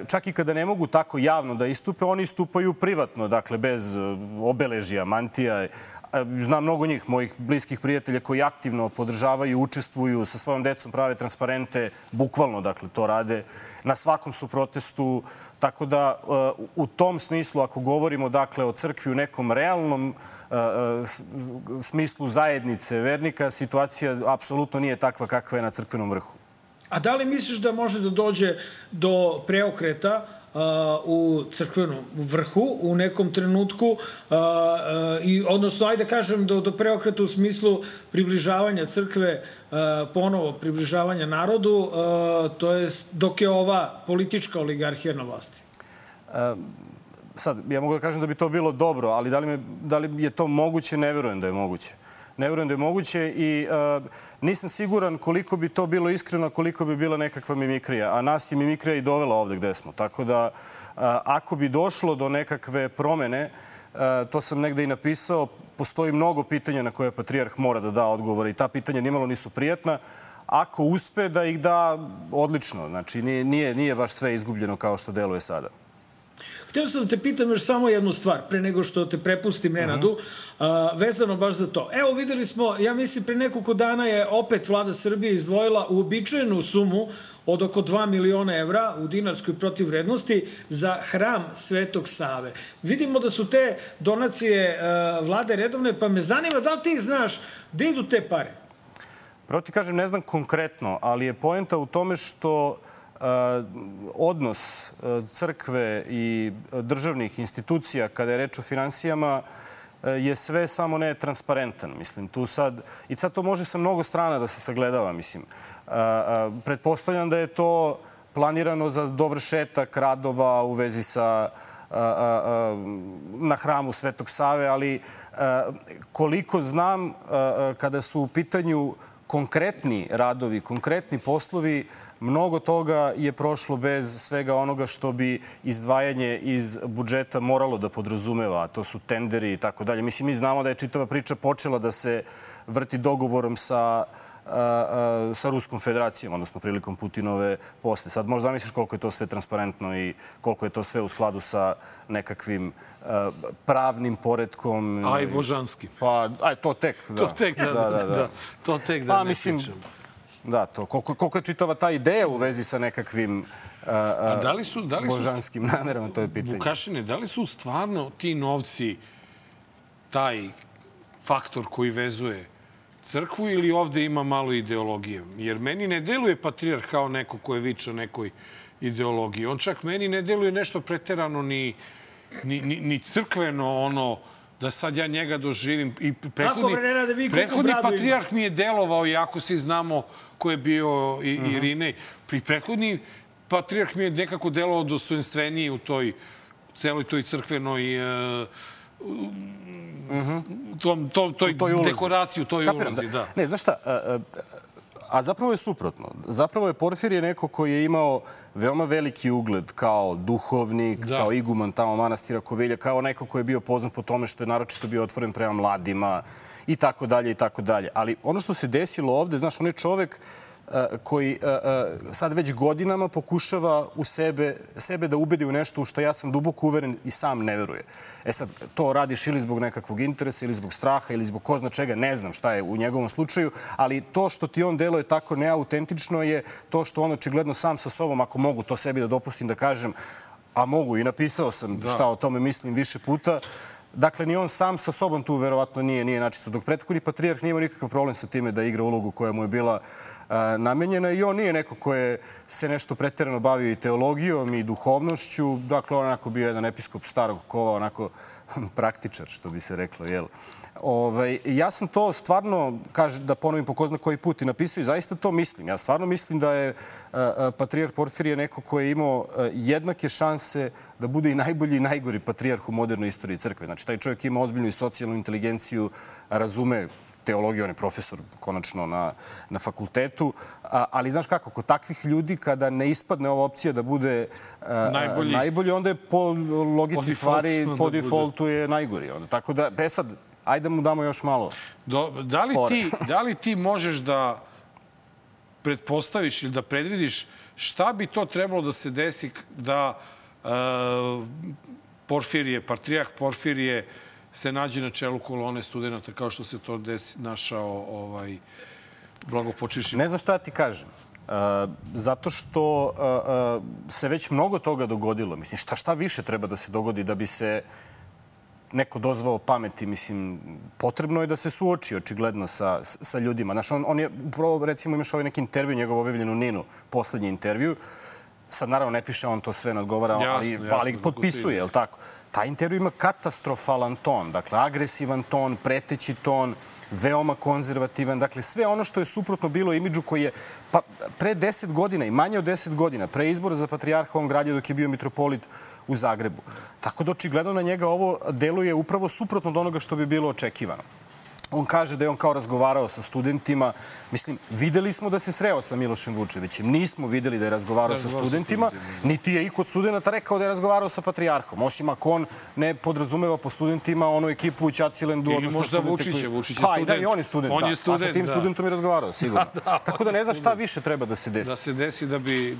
Speaker 18: čak i kada ne mogu tako javno da istupe, oni istupaju privatno, dakle, bez obeležja, mantija. Znam mnogo njih, mojih bliskih prijatelja koji aktivno podržavaju, učestvuju, sa svojom decom prave transparente, bukvalno, dakle, to rade. Na svakom su protestu. Tako da, u tom smislu, ako govorimo, dakle, o crkvi u nekom realnom smislu zajednice vernika, situacija apsolutno nije takva kakva je na crkvenom vrhu.
Speaker 2: A da li misliš da može da dođe do preokreta u crkvenom vrhu u nekom trenutku, odnosno, ajde kažem, do preokreta u smislu približavanja crkve, ponovo približavanja narodu, to je dok je ova politička oligarhija na vlasti?
Speaker 18: Sad, ja mogu da kažem da bi to bilo dobro, ali da li je to moguće, ne verujem da je moguće. Ne verujem da je moguće i nisam siguran koliko bi to bilo iskreno, koliko bi bila nekakva mimikrija. A nas je mimikrija i dovela ovde gde smo. Tako da, ako bi došlo do nekakve promene, to sam negde i napisao, postoji mnogo pitanja na koje patrijarh mora da da odgovore i ta pitanja nimalo nisu prijatna. Ako uspe da ih da, odlično. Znači, nije baš sve izgubljeno kao što deluje sada.
Speaker 2: Htio sam da te pitam još samo jednu stvar, pre nego što te prepustim Nenadu, vezano baš za to. Evo, videli smo, ja mislim, pre nekoliko dana je opet vlada Srbije izdvojila uobičajenu sumu od oko 2 miliona evra u dinarskoj protivvrednosti za hram Svetog Save. Vidimo da su te donacije vlade redovne, pa me zanima da li ti znaš gde idu te pare?
Speaker 18: Pravo ti kažem, ne znam konkretno, ali je poenta u tome što odnos crkve i državnih institucija kada je reč o finansijama je sve samo ne transparentan. Mislim, tu sad to može sa mnogo strana da se sagledava, mislim. Pretpostavljam da je to planirano za dovršetak radova u vezi sa na hramu Svetog Save, ali koliko znam, kada su u pitanju konkretni radovi, konkretni poslovi, mnogo toga je prošlo bez svega onoga što bi izdvajanje iz budžeta moralo da podrazumeva, a to su tenderi i tako dalje. Mislim, mi znamo da je čitava priča počela da se vrti dogovorom sa Ruskom federacijom, odnosno prilikom Putinove posete. Sad možda zamisliš koliko je to sve transparentno i koliko je to sve u skladu sa nekakvim pravnim poretkom.
Speaker 1: A i božanskim.
Speaker 18: Pa, to tek, da.
Speaker 1: To tek, da. To tek da ne pričam.
Speaker 18: Da, to. Koliko je čitava ta ideja u vezi sa nekakvim božanskim namerama, to je pitanje.
Speaker 1: Vukašine, da li su stvarno ti novci taj faktor koji vezuje crkvu ili ovde ima malo ideologije? Jer meni ne deluje patrijarh kao neko ko je vičao nekoj ideologiji. On čak meni ne deluje nešto preterano ni crkveno, ono, da sad ja njega doživim. I prethodni patrijarh mi je delovao, iako svi znamo ko je bio Irinej. Prethodni patrijarh mi je nekako delovao dostojanstveniji u celoj toj crkvenoj toj dekoraciji, u toj ulozi.
Speaker 18: Ne, znaš šta, A zapravo je suprotno. Zapravo je Porfirije neko koji je imao veoma veliki ugled kao duhovnik, kao iguman tamo manastira Kovilja, kao neko koji je bio poznat po tome što je naročito bio otvoren prema mladima i tako dalje i tako dalje. Ali ono što se desilo ovde, znaš, on je čovek koji sad već godinama pokušava u sebe da ubedi u nešto u što ja sam duboko uveren i sam ne veruje. E sad, to radiš ili zbog nekakvog interesa, ili zbog straha, ili zbog ko zna čega, ne znam šta je u njegovom slučaju, ali to što ti on deluje tako neautentično je to što on očigledno sam sa sobom, ako mogu to sebi da dopustim da kažem, a mogu i napisao sam šta o tome mislim više puta, dakle, ni on sam sa sobom tu verovatno nije načisto. Dok prethodni patrijarh nije imao nikakav problem sa time da igra ulogu koja mu je bila namenjena i on nije neko koje se nešto preterano bavio i teologijom i duhovnošću. Dakle, on onako bio jedan episkop starog kova, onako praktičar, što bi se reklo, jel? Ja sam to stvarno, da ponovim po ko zna koji put i napisao i zaista to mislim. Ja stvarno mislim da je patrijarh Porfirije neko koji je imao jednake šanse da bude i najbolji i najgori patrijarh u modernoj istoriji crkve. Znači, taj čovjek ima ozbiljnu i socijalnu inteligenciju, razume teologiju, on je profesor konačno na fakultetu, ali znaš kako, kod takvih ljudi kada ne ispadne ova opcija da bude najbolji, onda je po logici stvari, po defaultu je najgori. Tako da, sad, ajde mu damo još malo.
Speaker 1: Da li ti možeš da pretpostaviš ili da predvidiš šta bi to trebalo da se desi da Porfirije, patrijarh Porfirije se nađe na čelu kolone studenta kao što se to našao blagopočivši?
Speaker 18: Ne znam šta ti kažem. Zato što se već mnogo toga dogodilo. Mislim, šta više treba da se dogodi da bi se neko dozvao pameti? Mislim, potrebno je da se suoči očigledno sa ljudima. Znaš, on je, upravo, recimo, imaš ovaj neki intervju, njegov objavljen u NIN-u, poslednji intervju. Sad, naravno, ne piše on to sve, ne odgovara, ali potpisuje, je li tako? Taj intervju ima katastrofalan ton, dakle, agresivan ton, preteći ton, veoma konzervativan, dakle, sve ono što je suprotno bilo imidžu koji je pre 10 godina i manje od 10 godina, pre izbora za patrijarha on gradio dok je bio mitropolit u Zagrebu. Tako da, očigledno na njega ovo deluje upravo suprotno od onoga što bi bilo očekivano. On kaže da je on kao razgovarao sa studentima. Mislim, videli smo da se sreo sa Milošem Vučevićem. Nismo videli da je razgovarao sa studentima, niti je i kod studenta rekao da je razgovarao sa patrijarhom. Osim ako on ne podrazumeva po studentima onu ekipu u Ćacilendu.
Speaker 1: Ili možda Vučić je student.
Speaker 18: Da, i on je student. A sa tim studentom je razgovarao, sigurno. Tako da ne znam šta više treba da se desi.
Speaker 1: Da se desi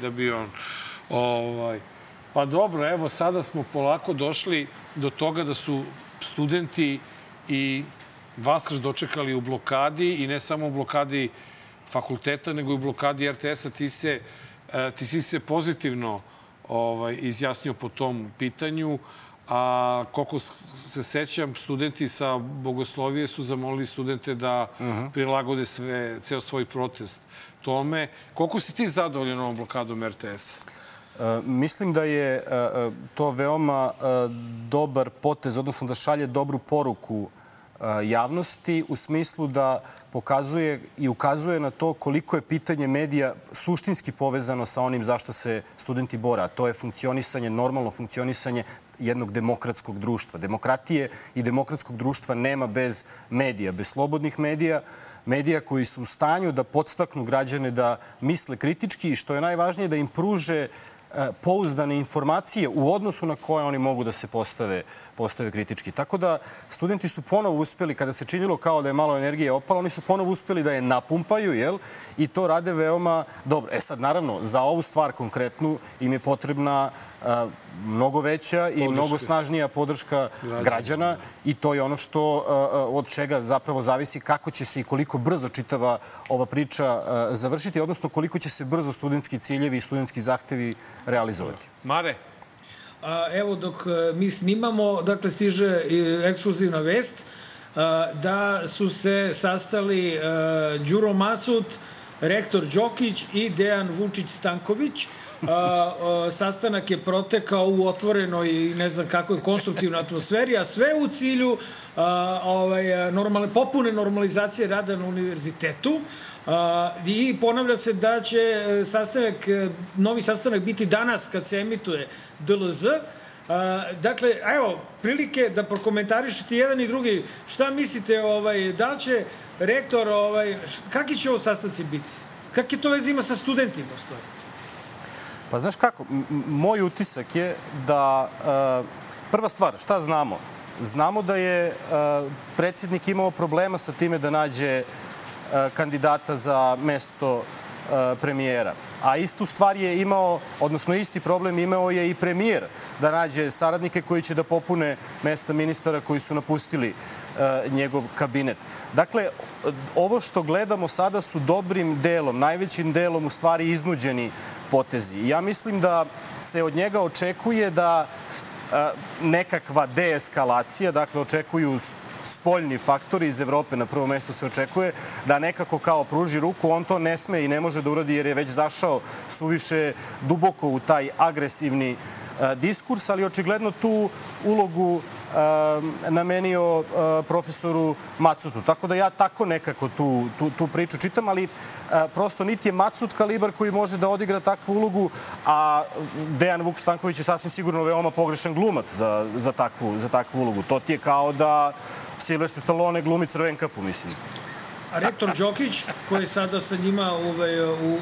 Speaker 1: da bi on... Pa dobro, evo, sada smo polako došli do toga da su studenti i Vaskrs dočekali u blokadi i ne samo u blokadi fakulteta, nego i u blokadi RTS-a. Ti si se pozitivno izjasnio po tom pitanju, a koliko se sećam, studenti sa Bogoslovije su zamolili studente da prilagode ceo svoj protest tome. Koliko si ti zadovoljan ovom blokadom RTS-a?
Speaker 18: Mislim da je to veoma dobar potez, odnosno da šalje dobru poruku javnosti u smislu da pokazuje i ukazuje na to koliko je pitanje medija suštinski povezano sa onim zašto se studenti bore, a to je funkcionisanje, normalno funkcionisanje jednog demokratskog društva. Demokratije i demokratskog društva nema bez medija, bez slobodnih medija, medija koji su u stanju da podstaknu građane da misle kritički i što je najvažnije da im pruže pouzdane informacije u odnosu na koje oni mogu da se postave kritički. Tako da studenti su ponovo uspeli, kada se činilo kao da je malo energije opala, oni su ponovo uspeli da je napumpaju, jel? I to rade veoma dobro. Sad, naravno, za ovu stvar konkretnu im je potrebna mnogo veća i mnogo snažnija podrška građana i to je ono što od čega zapravo zavisi kako će se i koliko brzo čitava ova priča završiti, odnosno koliko će se brzo studentski ciljevi i studentski zahtevi realizovati.
Speaker 1: Mare?
Speaker 2: Evo, dok mi snimamo, dakle, stiže ekskluzivna vest da su se sastali Đuro Macut, rektor Đokić i Dejan Vučić-Stanković. Sastanak je protekao u otvorenoj, ne znam kako je, konstruktivnoj atmosferi, a sve u cilju popune normalizacije rada na univerzitetu. I ponavlja se da će novi sastanak biti danas kad se emituje DLZ. Dakle, evo, prilike da prokomentarišete jedan i drugi. Šta mislite, da li će rektor, kakvi će ovo sastanci biti? Kakve to veze ima sa studentima u stvari?
Speaker 18: Pa znaš kako, moj utisak je da, prva stvar, šta znamo? Znamo da je predsjednik imao problema sa time da nađe kandidata za mesto premijera. A istu stvar je imao, odnosno isti problem imao je i premijer da nađe saradnike koji će da popune mesta ministara koji su napustili njegov kabinet. Dakle, ovo što gledamo sada su dobrim delom, najvećim delom u stvari iznuđeni potezi. Ja mislim da se od njega očekuje da nekakva deeskalacija, dakle očekuju spoljni faktori iz Evrope, na prvo mesto se očekuje, da nekako kao pruži ruku, on to ne sme i ne može da uradi jer je već zašao suviše duboko u taj agresivni diskurs, ali očigledno tu ulogu namenio profesoru Macutu. Tako da ja tako nekako tu priču čitam, ali prosto niti je Macut kalibar koji može da odigra takvu ulogu, a Dejan Vuk Stanković je sasvim sigurno veoma pogrešan glumac za takvu ulogu. To ti je kao da Silvester Stallone glumi Crvenkapu, mislim.
Speaker 2: A rektor Đokić, koji je sada sa njima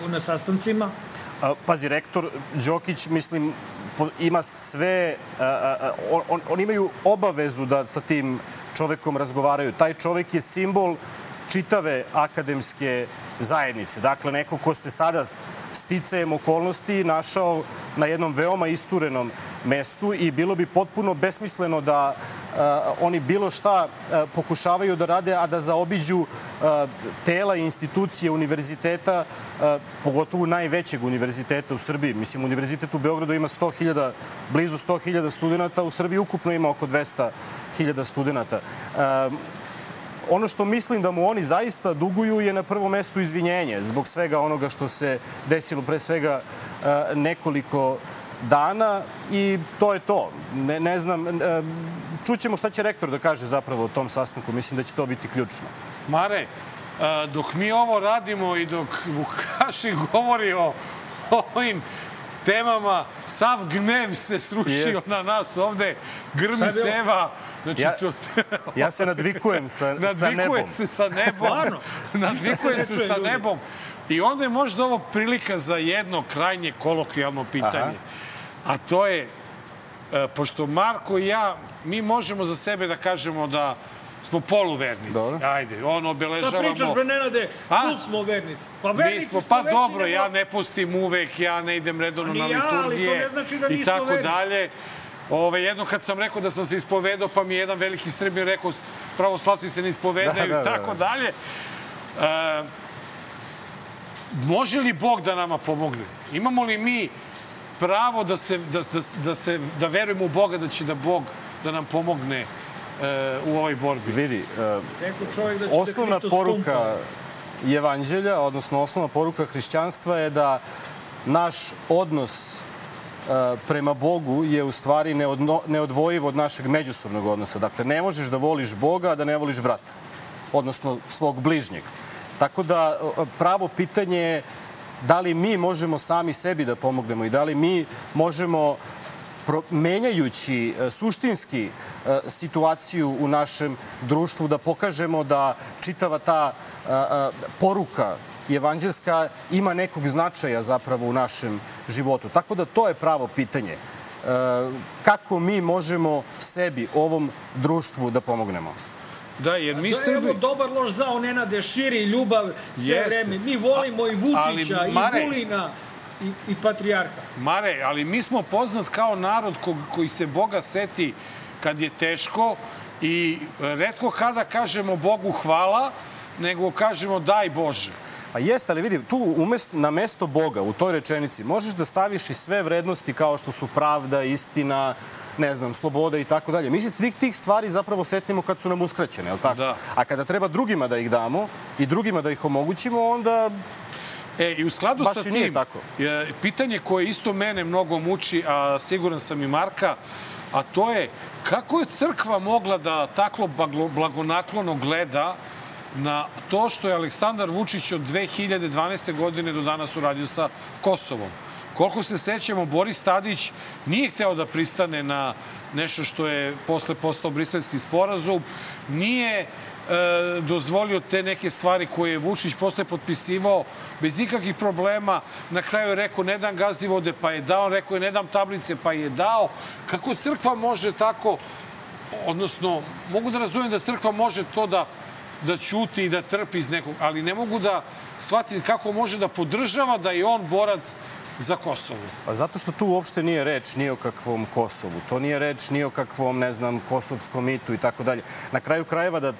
Speaker 2: na sastancima?
Speaker 18: Pazi, rektor Đokić, mislim, ima sve, oni imaju obavezu da sa tim čovekom razgovaraju. Taj čovek je simbol čitave akademske zajednice. Dakle, neko ko se sada sticajem okolnosti našao na jednom veoma isturenom mestu i bilo bi potpuno besmisleno da oni bilo šta pokušavaju da rade, a da zaobiđu tela i institucije univerziteta, pogotovo najvećeg univerziteta u Srbiji. Mislim, univerzitet u Beogradu ima blizu 100.000 studenta, u Srbiji ukupno ima oko 200.000 studenta. Ono što mislim da mu oni zaista duguju je na prvom mestu izvinjenje zbog svega onoga što se desilo pre svega nekoliko dana i to je to. Ne znam, čućemo šta će rektor da kaže zapravo o tom sastanku. Mislim da će to biti ključno.
Speaker 1: Mare, dok mi ovo radimo i dok Vukašin govori o ovim temama, sav gnev se srušio na nas ovde, grmi seva.
Speaker 18: Ja se nadvikujem sa nebom.
Speaker 1: Nadvikuje se sa nebom. Nadvikuje se sa nebom. I onda je možda ovo prilika za jedno krajnje kolokvijalno pitanje. A to je, pošto Marko i ja, mi možemo za sebe da kažemo da smo poluvernici. Ajde, ono obeležavamo...
Speaker 2: Da pričaš, Nenade, tu smo vernici. Pa vernici smo veći nego...
Speaker 1: Pa dobro, ja ne pustim uvek, ja ne idem redovno na liturgije i tako dalje. Jedno kad sam rekao da sam se ispovedao, pa mi je jedan veliki Srbin rekao pravoslavci se ne ispovedaju i tako dalje. Može li Bog da nama pomogne? Imamo li mi pravo da verujemo u Boga, da će da Bog da nam pomogne u ovoj borbi?
Speaker 18: Vidi, osnovna poruka Evanđelja, odnosno osnovna poruka hrišćanstva je da naš odnos prema Bogu je u stvari neodvojiv od našeg međusobnog odnosa. Dakle, ne možeš da voliš Boga, a da ne voliš brata, odnosno svog bližnjeg. Tako da pravo pitanje je da li mi možemo sami sebi da pomognemo i da li mi možemo, menjajući suštinski situaciju u našem društvu, da pokažemo da čitava ta poruka evanđelska ima nekog značaja zapravo u našem životu. Tako da to je pravo pitanje. Kako mi možemo sebi, ovom društvu da pomognemo?
Speaker 1: Da, jer mi
Speaker 2: to je evo dobar loš zao, Nenade, širi ljubav sve vreme. Mi volimo i Vučića, i Vulina, i patrijarha.
Speaker 1: Mare, ali mi smo poznat kao narod koji se Boga seti kad je teško i retko kada kažemo Bogu hvala, nego kažemo daj Bože.
Speaker 18: Pa jeste, ali vidi, tu na mesto Boga u toj rečenici možeš da staviš i sve vrednosti kao što su pravda, istina, ne znam, sloboda i tako dalje. Mi se svih tih stvari zapravo setimo kad su nam uskraćene, je li tako?
Speaker 1: Da.
Speaker 18: A kada treba drugima da ih damo i drugima da ih omogućimo, onda...
Speaker 1: I u skladu sa tim, pitanje koje isto mene mnogo muči, a siguran sam i Marka, a to je kako je crkva mogla da tako blagonaklono gleda na to što je Aleksandar Vučić od 2012. godine do danas uradio sa Kosovom. Koliko se sećamo, Boris Tadić nije hteo da pristane na nešto što je posle postao Briselski sporazum, nije dozvolio te neke stvari koje je Vučić posle potpisivao bez ikakvih problema. Na kraju je rekao ne dam Gazivode pa je dao, rekao je ne dam tablice pa je dao. Kako crkva može tako, odnosno mogu da razumem da crkva može to da ćuti i da trpi iz nekog, ali ne mogu da shvatim kako može da podržava da je on borac za Kosovo.
Speaker 18: Pa zato što tu uopšte nije reč ni o kakvom Kosovu. To nije reč ni o kakvom, ne znam, kosovskom mitu i tako dalje. Na kraju krajeva da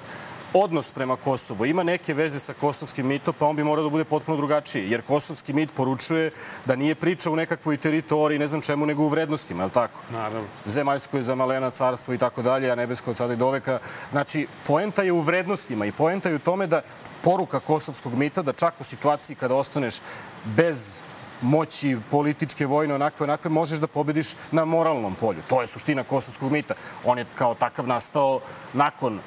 Speaker 18: odnos prema Kosovu ima neke veze sa kosovskim mitom, pa on bi morao da bude potpuno drugačiji. Jer kosovski mit poručuje da nije priča u nekakvoj teritoriji, ne znam čemu, nego u vrednostima, je li tako?
Speaker 1: Naravno.
Speaker 18: Zemaljsko je zamalena, carstvo i tako dalje, a nebesko od sada i do veka. Znači, poenta je u vrednostima i poenta je u tome da poruka kosovskog mita da čak u situaciji kada ostaneš bez moći političke, vojne, onakve, možeš da pobediš na moralnom polju. To je suština kosovskog mita. On je kao takav nastao nakon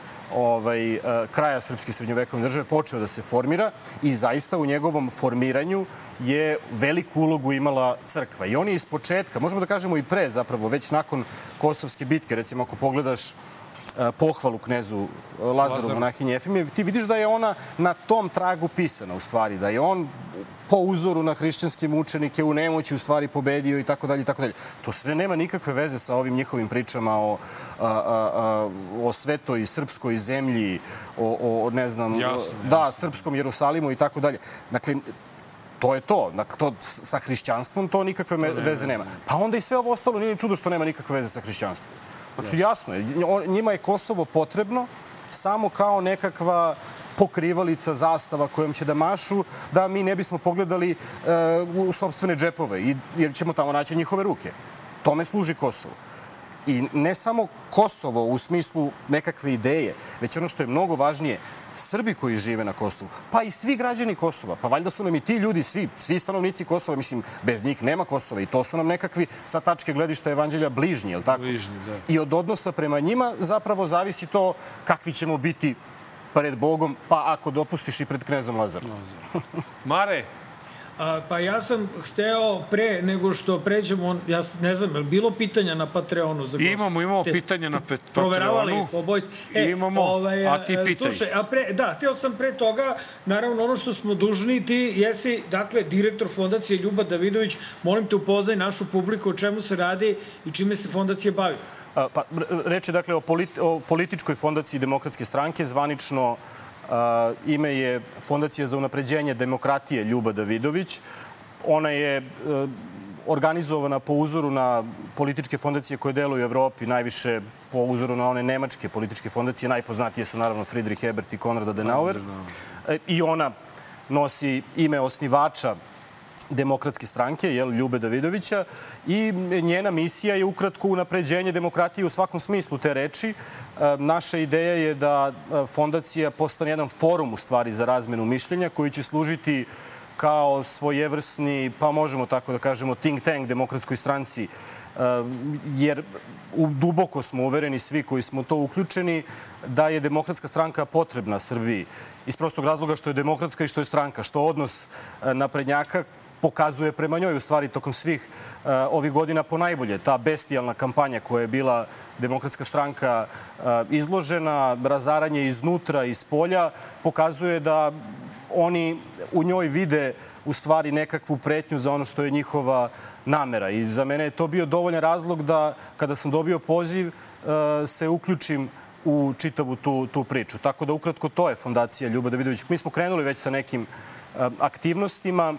Speaker 18: kraja srpske srednjovekovne države, počeo da se formira i zaista u njegovom formiranju je veliku ulogu imala crkva. I on je iz početka, možemo da kažemo i pre zapravo, već nakon Kosovske bitke, recimo ako pogledaš pohvalu knezu Lazaru monahinje Efimije, ti vidiš da je ona na tom tragu pisana u stvari, da je on po uzoru na hrišćanske mučenike u nemoći u stvari pobedio i tako dalje i tako dalje. To sve nema nikakve veze sa ovim njihovim pričama o svetoj srpskoj zemlji, o ne znam, da, srpskom Jerusalimu i tako dalje. Dakle, to je to. Dakle, to sa hrišćanstvom to nikakve veze nema. Pa onda i sve ovo ostalo nije čudo što nema nikakve veze sa hrišćanstvom. Znači, jasno je, njima je Kosovo potrebno samo kao nekakva pokrivalica, zastava kojom će da mašu, da mi ne bismo pogledali u sopstvene džepove, jer ćemo tamo naći njihove ruke. Tome služi Kosovo. I ne samo Kosovo u smislu nekakve ideje, već ono što je mnogo važnije, Srbi koji žive na Kosovu, pa i svi građani Kosova. Pa valjda su nam i ti ljudi, svi stanovnici Kosova, mislim, bez njih nema Kosova i to su nam nekakvi sa tačke gledišta evanđelja bližnji, je li tako?
Speaker 1: Bližnji, da.
Speaker 18: I od odnosa prema njima zapravo zavisi to kakvi ćemo biti pred Bogom, pa ako dopustiš i pred knezom Lazarom.
Speaker 1: Mare?
Speaker 2: Pa ja sam hteo pre nego što pređemo, ja ne znam, je li bilo pitanja na Patreonu?
Speaker 1: Imamo pitanja na Patreonu.
Speaker 2: Proveravali obojci.
Speaker 1: Imamo, a ti pitaj.
Speaker 2: Slušaj, hteo sam pre toga, naravno ono što smo dužni, ti jesi, dakle, direktor fondacije Ljuba Davidović, molim te upoznaj našu publiku o čemu se radi i čime se fondacija bavi.
Speaker 18: Pa, reč je dakle o političkoj fondaciji Demokratske stranke, zvanično ime je Fondacija za unapređenje demokratije Ljuba Davidović. Ona je organizovana po uzoru na političke fondacije koje deluju u Evropi, najviše po uzoru na one nemačke političke fondacije. Najpoznatije su naravno Friedrich Ebert i Konrad Adenauer. I ona nosi ime osnivača Demokratske stranke, Ljube Davidovića, i njena misija je ukratko unapređenje demokratije u svakom smislu te reči. Naša ideja je da fondacija postane jedan forum u stvari za razmenu mišljenja koji će služiti kao svojevrsni, pa možemo tako da kažemo, think tank Demokratskoj stranci, jer duboko smo uvereni svi koji smo to uključeni da je Demokratska stranka potrebna Srbiji. Iz prostog razloga što je demokratska i što je stranka, što odnos naprednjaka pokazuje prema njoj u stvari tokom svih ovih godina ponajbolje. Ta bestijalna kampanja koja je bila Demokratska stranka izložena, razaranje iznutra i spolja, pokazuje da oni u njoj vide u stvari nekakvu pretnju za ono što je njihova namera. I za mene je to bio dovoljan razlog da kada sam dobio poziv se uključim u čitavu tu priču. Tako da ukratko to je Fondacija Ljuba Davidović. Mi smo krenuli već sa nekim aktivnostima.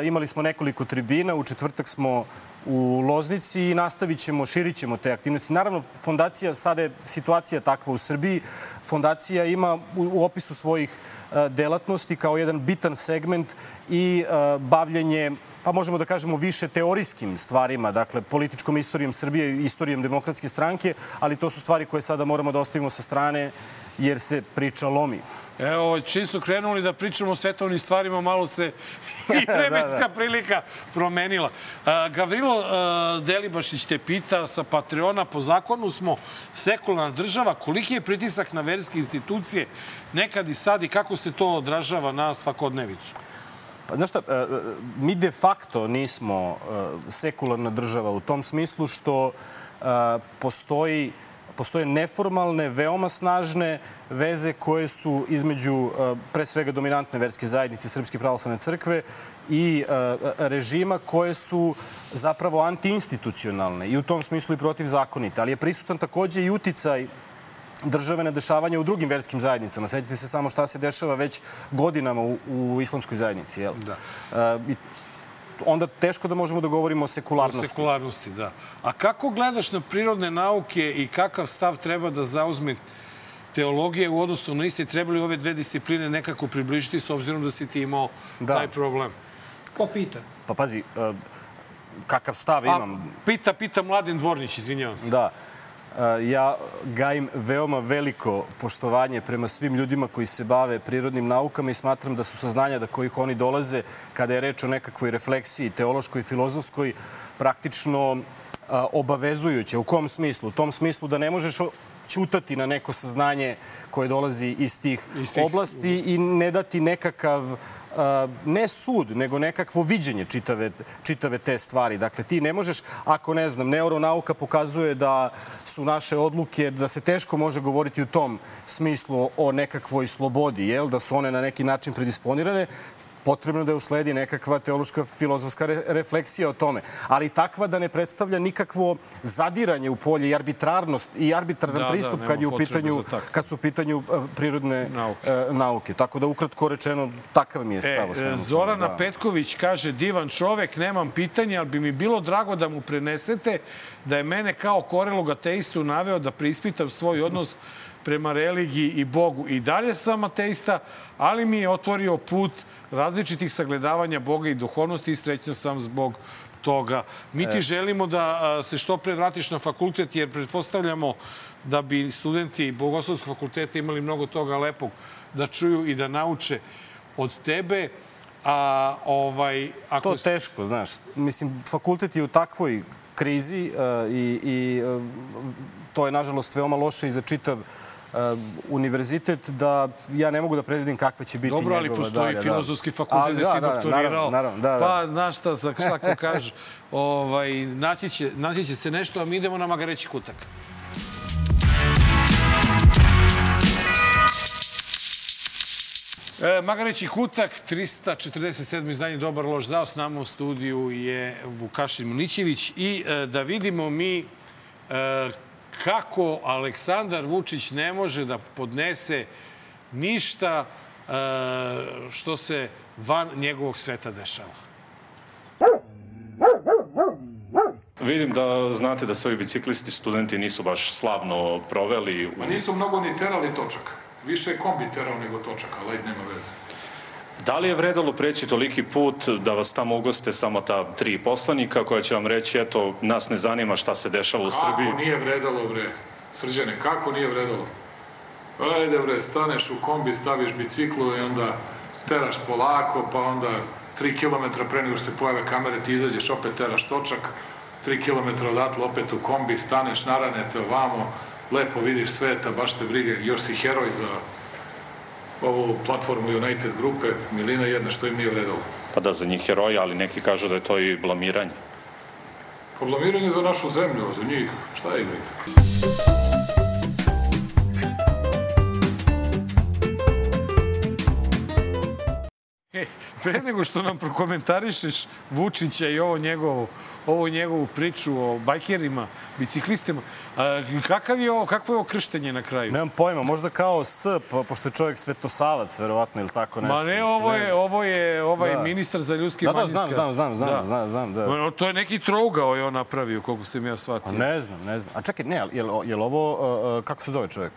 Speaker 18: Imali smo nekoliko tribina, u četvrtak smo u Loznici i nastavit ćemo, širit ćemo te aktivnosti. Naravno, fondacija, sada je situacija takva u Srbiji, fondacija ima u opisu svojih delatnosti kao jedan bitan segment i bavljenje, pa možemo da kažemo, više teorijskim stvarima, dakle, političkom istorijom Srbije i istorijom Demokratske stranke, ali to su stvari koje sada moramo da ostavimo sa strane jer se priča lomi.
Speaker 1: Evo, čim su krenuli da pričamo o svetovnim stvarima, malo se i vremenska prilika promenila. Gavrilo Delibašić te pita sa Patreona, po zakonu smo sekularna država, koliki je pritisak na verske institucije nekad i sad i kako se to odražava na svakodnevicu?
Speaker 18: Pa, znaš šta, mi de facto nismo sekularna država u tom smislu što postoji postoje neformalne, veoma snažne veze koje su između pre svega dominantne verske zajednice Srpske pravoslavne crkve i režima koje su zapravo antiinstitucionalne i u tom smislu i protivzakonite. Ali je prisutan takođe i uticaj države na dešavanje u drugim verskim zajednicama. Sjetite se samo šta se dešava već godinama u islamskoj zajednici. Jel? Da. Onda teško da možemo da govorimo o sekularnosti.
Speaker 1: O sekularnosti, da. A kako gledaš na prirodne nauke i kakav stav treba da zauzme teologije u odnosu na iste? Trebali ove dve discipline nekako približiti s obzirom da si ti imao taj problem?
Speaker 2: Ko pita?
Speaker 18: Pa pazi, kakav stav imam?
Speaker 1: Pita Mladen Dvornić, izvinjavam se.
Speaker 18: Da. Ja gajim veoma veliko poštovanje prema svim ljudima koji se bave prirodnim naukama i smatram da su saznanja do kojih oni dolaze kada je reč o nekakvoj refleksiji teološkoj i filozofskoj praktično obavezujuće. U kom smislu? U tom smislu da ne možeš ćutati na neko saznanje koje dolazi iz tih oblasti i ne dati nekakav, ne sud, nego nekakvo viđenje čitave te stvari. Dakle, ti ne možeš, ako ne znam, neuronauka pokazuje da su naše odluke, da se teško može govoriti u tom smislu o nekakvoj slobodi, jel? Da su one na neki način predisponirane, potrebno da je usledi nekakva teološka filozofska refleksija o tome. Ali takva da ne predstavlja nikakvo zadiranje u polje i arbitrarnost i arbitraran pristup kad su u pitanju prirodne nauke. Tako da ukratko rečeno, takav mi je stav.
Speaker 1: Zorana Petković kaže, divan čovek, nemam pitanja, ali bi mi bilo drago da mu prenesete da je mene kao korelog ateistu naveo da preispitam svoj odnos prema religiji i Bogu. I dalje sam ateista, ali mi je otvorio put različitih sagledavanja Boga i duhovnosti i srećan sam zbog toga. Mi ti želimo da se što pre vratiš na fakultet, jer pretpostavljamo da bi studenti Bogoslovskog fakulteta imali mnogo toga lepog da čuju i da nauče od tebe.
Speaker 18: To teško, znaš. Mislim, fakultet je u takvoj krizi i to je, nažalost, veoma loše i za čitav univerzitet, da ja ne mogu da predvidim kakve će biti njegove.
Speaker 1: Dobro, ali postoji filozofski fakultet gde si doktorirao. Pa, znaš šta ko kaže. Naći će se nešto, a mi idemo na Magareći kutak. Magareći kutak, 347. izdanje Dobar loš zao. S nama u studiju je Vukašin Munićević. I da vidimo mi kako Aleksandar Vučić ne može da podnese ništa što se van njegovog sveta dešava.
Speaker 19: Vidim da znate da se ovi biciklisti, studenti nisu baš slavno proveli.
Speaker 20: Ma nisu mnogo ni terali točak. Više je kombi terao nego točak, ali nema veze.
Speaker 19: Da li je vredalo preći toliki put da vas tamo ugoste samo ta 3 poslanika koja će vam reći, eto, nas ne zanima šta se dešava u Srbiji?
Speaker 20: Kako nije vredalo, bre? Srđane, kako nije vredalo? Ajde, bre, staneš u kombi, staviš biciklu i onda teraš polako, pa onda 3 kilometra pre nego se pojave kamere, ti izađeš, opet teraš točak, 3 kilometra odatle opet u kombi, staneš, naranete ovamo, lepo vidiš sveta, baš te brige, još si heroj za ovu platformu United grupe, milina jedna, što im nije vredalo.
Speaker 19: Pa da, za njih heroja, ali neki kažu da je to i blamiranje.
Speaker 20: Pa blamiranje za našu zemlju, za njih, šta je briga?
Speaker 1: Pre nego što nam prokomentarišeš Vučića i ovo njegovu priču o bajkerima, biciklistima, kakvo je ovo krštenje na kraju?
Speaker 18: Nemam pojma, možda kao pošto je čovjek Svetosavac, verovatno, ili tako nešto.
Speaker 1: Ma ne, ovo je ovaj ministar za ljudske i manjinske.
Speaker 18: Znam.
Speaker 1: To je neki trougao je on napravio, koliko sam ja shvatio.
Speaker 18: Ne znam. A čekaj, ne, je li ovo, kako se zove čovjek?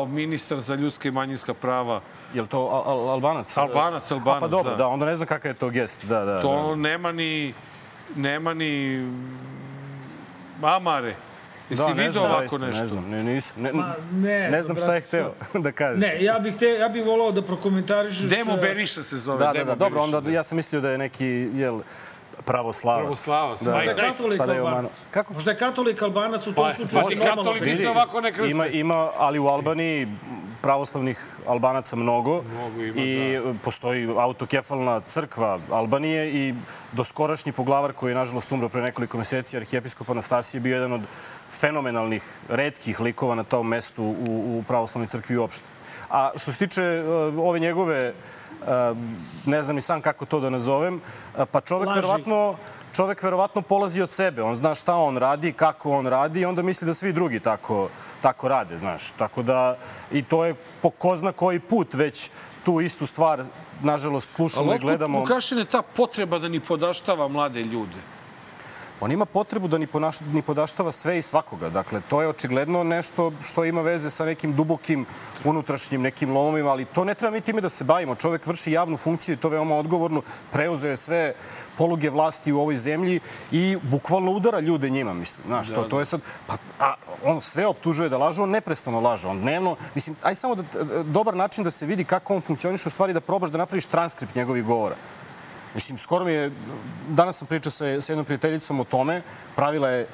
Speaker 1: Ministar za ljudska i manjinska prava.
Speaker 18: Je li to Albanac?
Speaker 1: Albanac,
Speaker 18: pa dobro, da, onda ne znam kakav je to gest.
Speaker 1: To nema ni mamare. Jesi vidio ovako nešto?
Speaker 18: Ne znam šta je hteo da kaže.
Speaker 2: Ne, ja bih volao da prokomentarišeš...
Speaker 1: Demo Beriša se zove.
Speaker 18: Da, dobro, onda ja sam mislio da je neki, pravoslavac.
Speaker 2: Možda je katolik Albanac. Možda je katolik Albanac u tom slučaju.
Speaker 1: Katolici se ovako ne krste.
Speaker 18: Ima, ali u Albaniji pravoslavnih Albanaca mnogo i postoji autokefalna crkva Albanije i doskorašnji poglavar koji je nažalost umro pre nekoliko meseci, arhijepiskop Anastasije, bio jedan od fenomenalnih, retkih likova na tom mestu u pravoslavnoj crkvi uopšte. A što se tiče ove njegove, ne znam ni sam kako to da nazovem, pa čovek verovatno polazi od sebe. On zna šta on radi, kako on radi i onda misli da svi drugi tako rade, znaš. Tako da i to je po ko zna koji put već tu istu stvar, nažalost, slušamo i gledamo.
Speaker 1: Ali Vukašin je ta potreba da ni podaštava mlade ljude.
Speaker 18: On ima potrebu da ni podaštava sve i svakoga. Dakle, to je očigledno nešto što ima veze sa nekim dubokim unutrašnjim nekim lomovima, ali to ne treba mi time da se bavimo. Čovek vrši javnu funkciju i to veoma odgovorno. Preuzeo je sve poluge vlasti u ovoj zemlji i bukvalno udara ljude njima, mislim. Znaš, to je sad... On sve optužuje da laže, on neprestano laže. On dnevno... Mislim, aj samo dobar način da se vidi kako on funkcioniše, u stvari da probaš da napraviš transkript njegovih govora. Mislim, skoro mi je... Danas sam pričao sa jednom prijateljicom o tome. Pravila je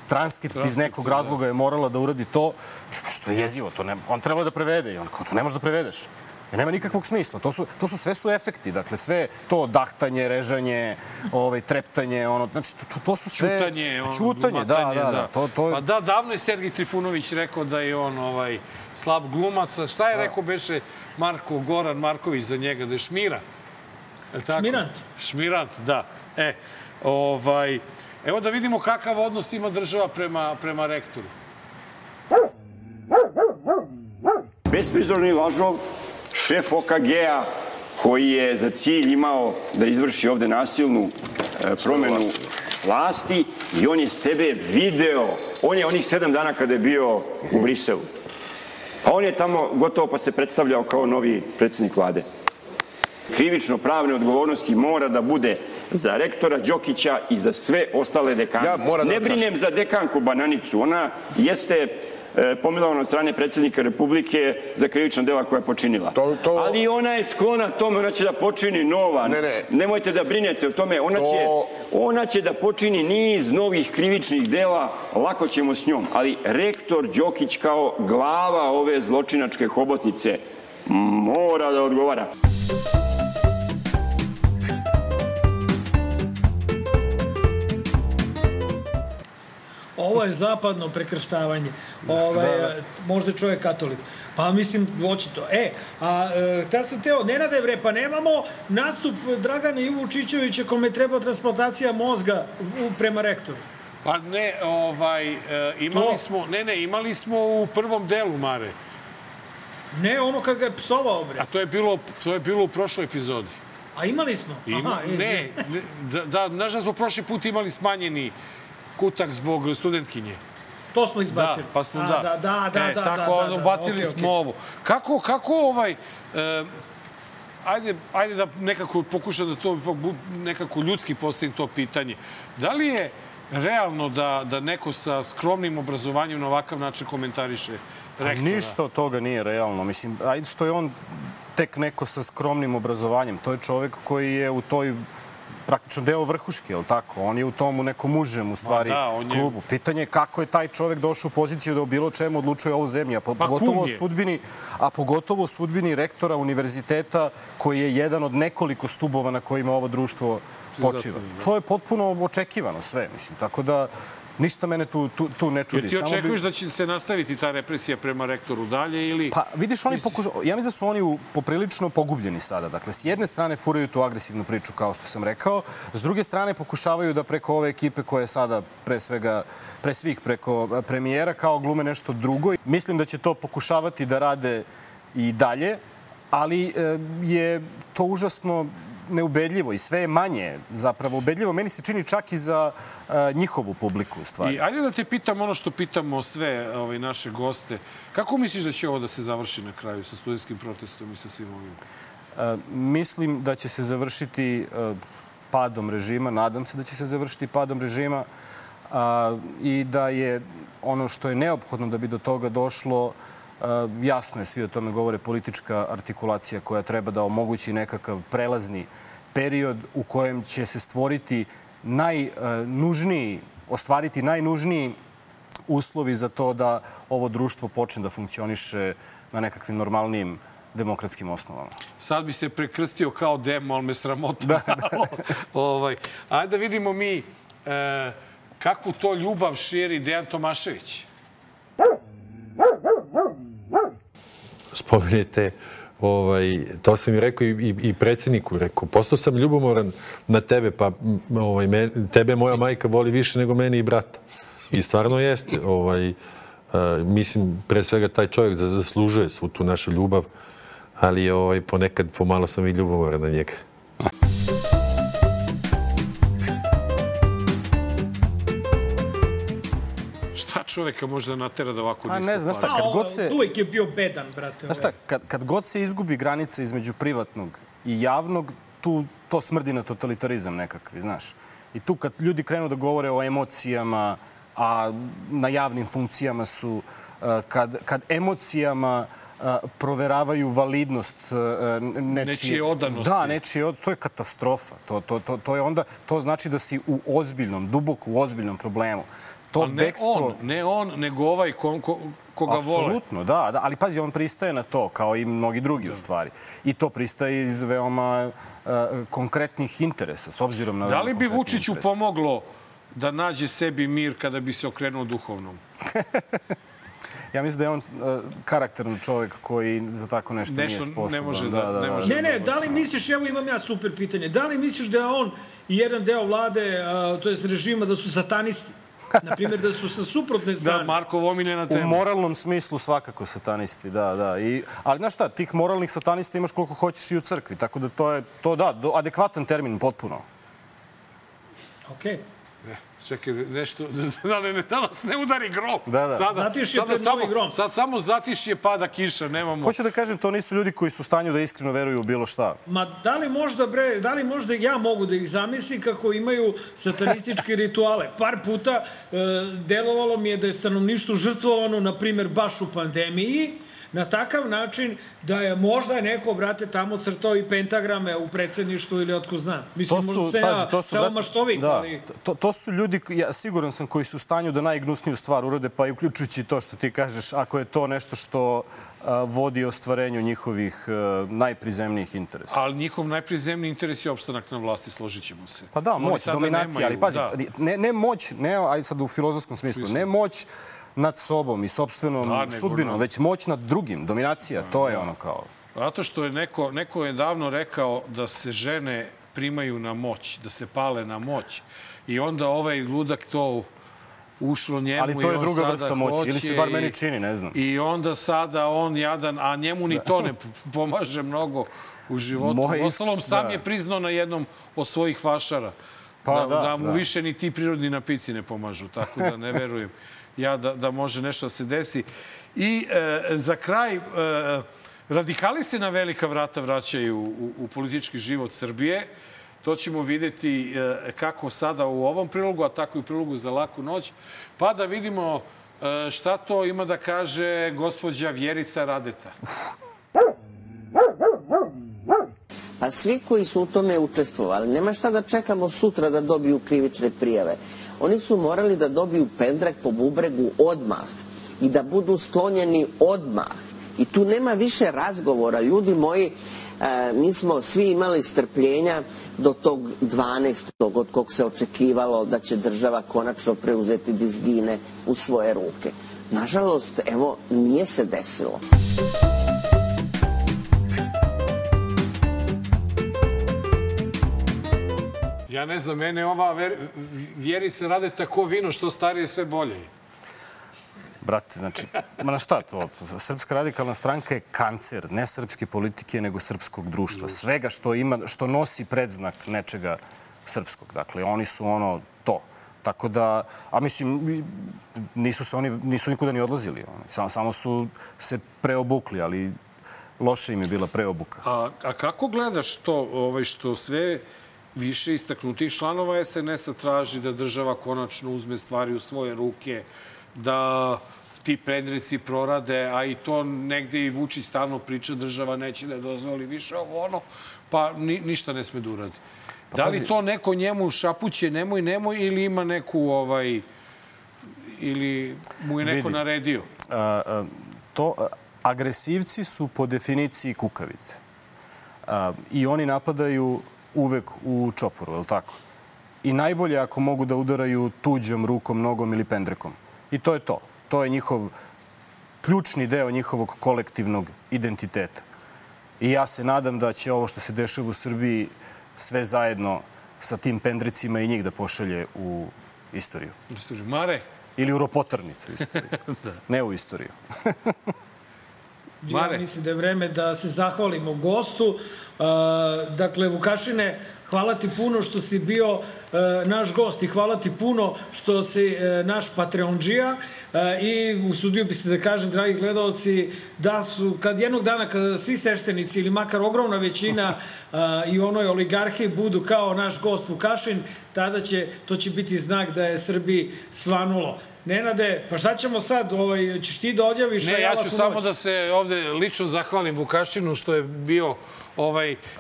Speaker 18: transkript iz nekog razloga, je morala da uradi to. Što je jezivo. On treba da prevede i on to ne možeš da prevedeš. Jer nema nikakvog smisla. Sve su efekti. Dakle, sve to dahtanje, režanje, treptanje, znači, to su sve... Čutanje, da.
Speaker 1: Pa da, davno je Sergij Trifunović rekao da je on slab glumac. Šta je rekao beše Goran Marković za njega? Da je šmira. Šmirant, da. Evo da vidimo kakav odnos ima država prema rektoru.
Speaker 21: Besprizorni lažov, šef OKG-a koji je za cilj imao da izvrši ovde nasilnu promenu vlasti i on je sebe video. On je onih 7 dana kada je bio u Briselu. Pa on je tamo gotovo pa se predstavljao kao novi predsjednik vlade. Krivično-pravne odgovornosti mora da bude za rektora Đokića i za sve ostale dekane. Ne brinem za dekanku Bananicu. Ona jeste pomilovana od strane predsjednika Republike za krivična dela koja je počinila. Ali ona je sklona tome, ona će da počini nova. Nemojte da brinete o tome. Ona će da počini niz novih krivičnih dela, lako ćemo s njom. Ali rektor Đokić kao glava ove zločinačke hobotnice mora da odgovara.
Speaker 2: Ovo je zapadno prekrštavanje. Možda je čovjek katolik. Pa mislim, očito. Ta sam teo, Nenade bre, pa nemamo nastup Dragana Vučićevića kome treba transplantacija mozga prema rektoru.
Speaker 1: Pa ne, imali smo u prvom delu, Mare.
Speaker 2: Ne, ono kad ga je psovao, bre.
Speaker 1: A to je bilo u prošloj epizodi.
Speaker 2: A imali smo?
Speaker 1: Ne, znaš da smo prošli put imali smanjeni kutak zbog studentkinje.
Speaker 2: To smo izbacili.
Speaker 1: Da, pa smo da. Tako, ubacili smo ovo. Kako ajde da nekako pokušam da to nekako ljudski postavim to pitanje. Da li je realno da neko sa skromnim obrazovanjem na ovakav način komentariše rektora?
Speaker 18: Ništa od toga nije realno. Mislim, ajde što je on tek neko sa skromnim obrazovanjem. To je čovek koji je u toj praktično deo vrhuške, je li tako? On je u tomu nekom užem, u stvari, klubu. Pitanje je kako je taj čovek došao u poziciju da o bilo čemu odlučuje ovu zemlju, a pogotovo o sudbini rektora univerziteta koji je jedan od nekoliko stubova na kojima ovo društvo počiva. To je potpuno očekivano sve, mislim. Tako da ništa mene tu ne čudi.
Speaker 1: Jer ti očekuješ da će se nastaviti ta represija prema rektoru dalje ili...
Speaker 18: Pa vidiš, oni pokušaju... Ja mislim da su oni poprilično pogubljeni sada. Dakle, s jedne strane furaju tu agresivnu priču, kao što sam rekao. S druge strane pokušavaju da preko ove ekipe koje je sada pre svih preko premijera kao glume nešto drugo. Mislim da će to pokušavati da rade i dalje, ali je to užasno neubedljivo i sve je manje zapravo ubedljivo. Meni se čini čak i za njihovu publiku u stvari.
Speaker 1: I ajde da te pitam ono što pitamo sve naše goste. Kako misliš da će ovo da se završi na kraju sa studentskim protestom i sa svim ovim?
Speaker 18: Mislim da će se završiti padom režima. Nadam se da će se završiti padom režima i da je ono što je neophodno da bi do toga došlo, jasno je, svi o tome govore, politička artikulacija koja treba da omogući nekakav prelazni period u kojem će se stvoriti ostvariti najnužniji uslovi za to da ovo društvo počne da funkcioniše na nekakvim normalnijim demokratskim osnovama.
Speaker 1: Sad bi se prekrstio kao demo, ali me sramota. Ajde da vidimo mi kakvu to ljubav širi Dejan Tomašević.
Speaker 4: Spomenite, to sam i rekao i predsjedniku, rekao, postao sam ljubomoran na tebe, pa tebe moja majka voli više nego meni i brata. I stvarno jeste. Mislim, pre svega taj čovjek zaslužuje svu tu našu ljubav, ali ponekad pomalo sam i ljubomoran na njega.
Speaker 1: Šta čovjeka može da natera da ovako nisko
Speaker 18: ne znam, šta, kad god se...
Speaker 2: Uvijek je bio bedan, brate.
Speaker 18: Znaš šta, kad god se izgubi granica između privatnog i javnog, to smrdi na totalitarizam nekakvi, znaš. I tu kad ljudi krenu da govore o emocijama, a na javnim funkcijama su, kad emocijama proveravaju validnost
Speaker 1: nečije odanosti.
Speaker 18: Da, nečije odanosti. To je katastrofa. To znači da si u ozbiljnom, duboko u ozbiljnom problemu.
Speaker 1: Ne on, nego ovaj koga vole.
Speaker 18: Apsolutno, da. Ali pazi, on pristaje na to, kao i mnogi drugi u stvari. I to pristaje iz veoma konkretnih interesa, s obzirom na...
Speaker 1: Da li bi Vučiću pomoglo da nađe sebi mir kada bi se okrenuo duhovnom?
Speaker 18: Ja mislim da je on karakterni čovjek koji za tako nešto nije sposoban.
Speaker 1: Ne može da...
Speaker 2: Ne, da li misliš, evo imam ja super pitanje, da li misliš da je on i jedan deo vlade, to jest režima, da su satanisti? Naprimjer, da su sa suprotne strane.
Speaker 1: Da, Markov omiljena tema.
Speaker 18: U moralnom smislu svakako satanisti, da. Ali znaš šta, tih moralnih satanista imaš koliko hoćeš i u crkvi, tako da to je, adekvatan termin, potpuno.
Speaker 2: Okej.
Speaker 1: Čekaj, nešto, da nas ne udari grom.
Speaker 2: Zatišje pred novi grom.
Speaker 1: Sad samo zatišje, pada kiša, nemamo...
Speaker 18: Hoću da kažem, to nisu ljudi koji su u stanju da iskreno veruju u bilo šta.
Speaker 2: Ma da li možda ja mogu da ih zamislim kako imaju satanističke rituale? Par puta delovalo mi je da je stanovništvo žrtvovano, na primjer, baš u pandemiji, na takav način da je možda neko, brate, tamo crtao i pentagrame u predsjedništvu ili otko znam. Mislim, možda se ja samo maštovit, ali...
Speaker 18: To su ljudi, ja siguran sam, koji su u stanju da najgnusniju stvar urode, pa i uključujući to što ti kažeš, ako je to nešto što vodi ostvarenju njihovih najprizemnijih interesa.
Speaker 1: Ali njihov najprizemniji interes je opstanak na vlasti, složit ćemo se.
Speaker 18: Pa da, moć, dominacija, ali pazi, ne moć, aj sad u filozofskom smislu, ne moć nad sobom i sopstvenom sudbinom, već moć nad drugim, dominacija, to je ono kao...
Speaker 1: Zato što je neko je davno rekao da se žene primaju na moć, da se pale na moć. I onda ovaj ludak to ušlo njemu.
Speaker 18: Ali to je druga vrsta moći, ili se bar meni čini, ne znam.
Speaker 1: I onda sada on jadan, a njemu ni to ne pomaže mnogo u životu. Ostalom, sam je priznao na jednom od svojih vašara da mu više ni ti prirodni napici ne pomažu, tako da ne verujem ja da može nešto da se desi. I za kraj, radikali se na velika vrata vraćaju u politički život Srbije. To ćemo vidjeti kako sada u ovom prilogu, a tako i u prilogu za laku noć. Pa da vidimo šta to ima da kaže gospođa Vjerica Radeta.
Speaker 22: Pa svi koji su u tome učestvovali, nema šta da čekamo sutra da dobiju krivične prijave. Oni su morali da dobiju pendrek po bubregu odmah i da budu sklonjeni odmah. I tu nema više razgovora. Ljudi moji, mi smo svi imali strpljenja do tog 12. od kog se očekivalo da će država konačno preuzeti dizgine u svoje ruke. Nažalost, evo, nije se desilo.
Speaker 1: Ja ne znam, mene ova Vjerica Radeta ko vino, što starije sve bolje.
Speaker 18: Brate, znači, na šta to? Srpska radikalna stranka je kancer, ne srpske politike, nego srpskog društva. Svega što nosi predznak nečega srpskog. Dakle, oni su ono to. Tako da, a mislim, nisu nikuda ni odlazili. Samo su se preobukli, ali loše im je bila preobuka.
Speaker 1: A kako gledaš to što sve više istaknutih članova SNS-a traži da država konačno uzme stvari u svoje ruke, da ti prednici prorade, a i to negde i Vučić stalno priča, država neće da dozvoli više ovo, pa ništa ne sme da uradi. Da li to neko njemu šapuće nemoj ili ima neku ili mu je neko naredio?
Speaker 18: Agresivci su po definiciji kukavice. I oni napadaju uvek u čoporu, je li tako? I najbolje ako mogu da udaraju tuđom rukom, nogom ili pendrekom. I to je to. To je njihov ključni deo njihovog kolektivnog identiteta. I ja se nadam da će ovo što se dešava u Srbiji sve zajedno sa tim pendrecima i njih da pošalje u istoriju.
Speaker 1: Mare?
Speaker 18: Ili u ropotarnicu istoriju. Ne u istoriju.
Speaker 2: Ja mislim da je vreme da se zahvalimo gostu. Dakle, Vukašine, hvala ti puno što si bio naš gost i hvala ti puno što si naš patreondžija i usudio bi se da kažem, dragi gledalci, da su kad jednog dana kada svi sveštenici ili makar ogromna većina i onoj oligarhiji budu kao naš gost Vukašin, tada to će biti znak da je Srbiji svanulo. Nenade, pa šta ćemo sad? Ćeš ti da odjaviš?
Speaker 1: Ne, ja ću samo da se ovde lično zahvalim Vukašinu što je bio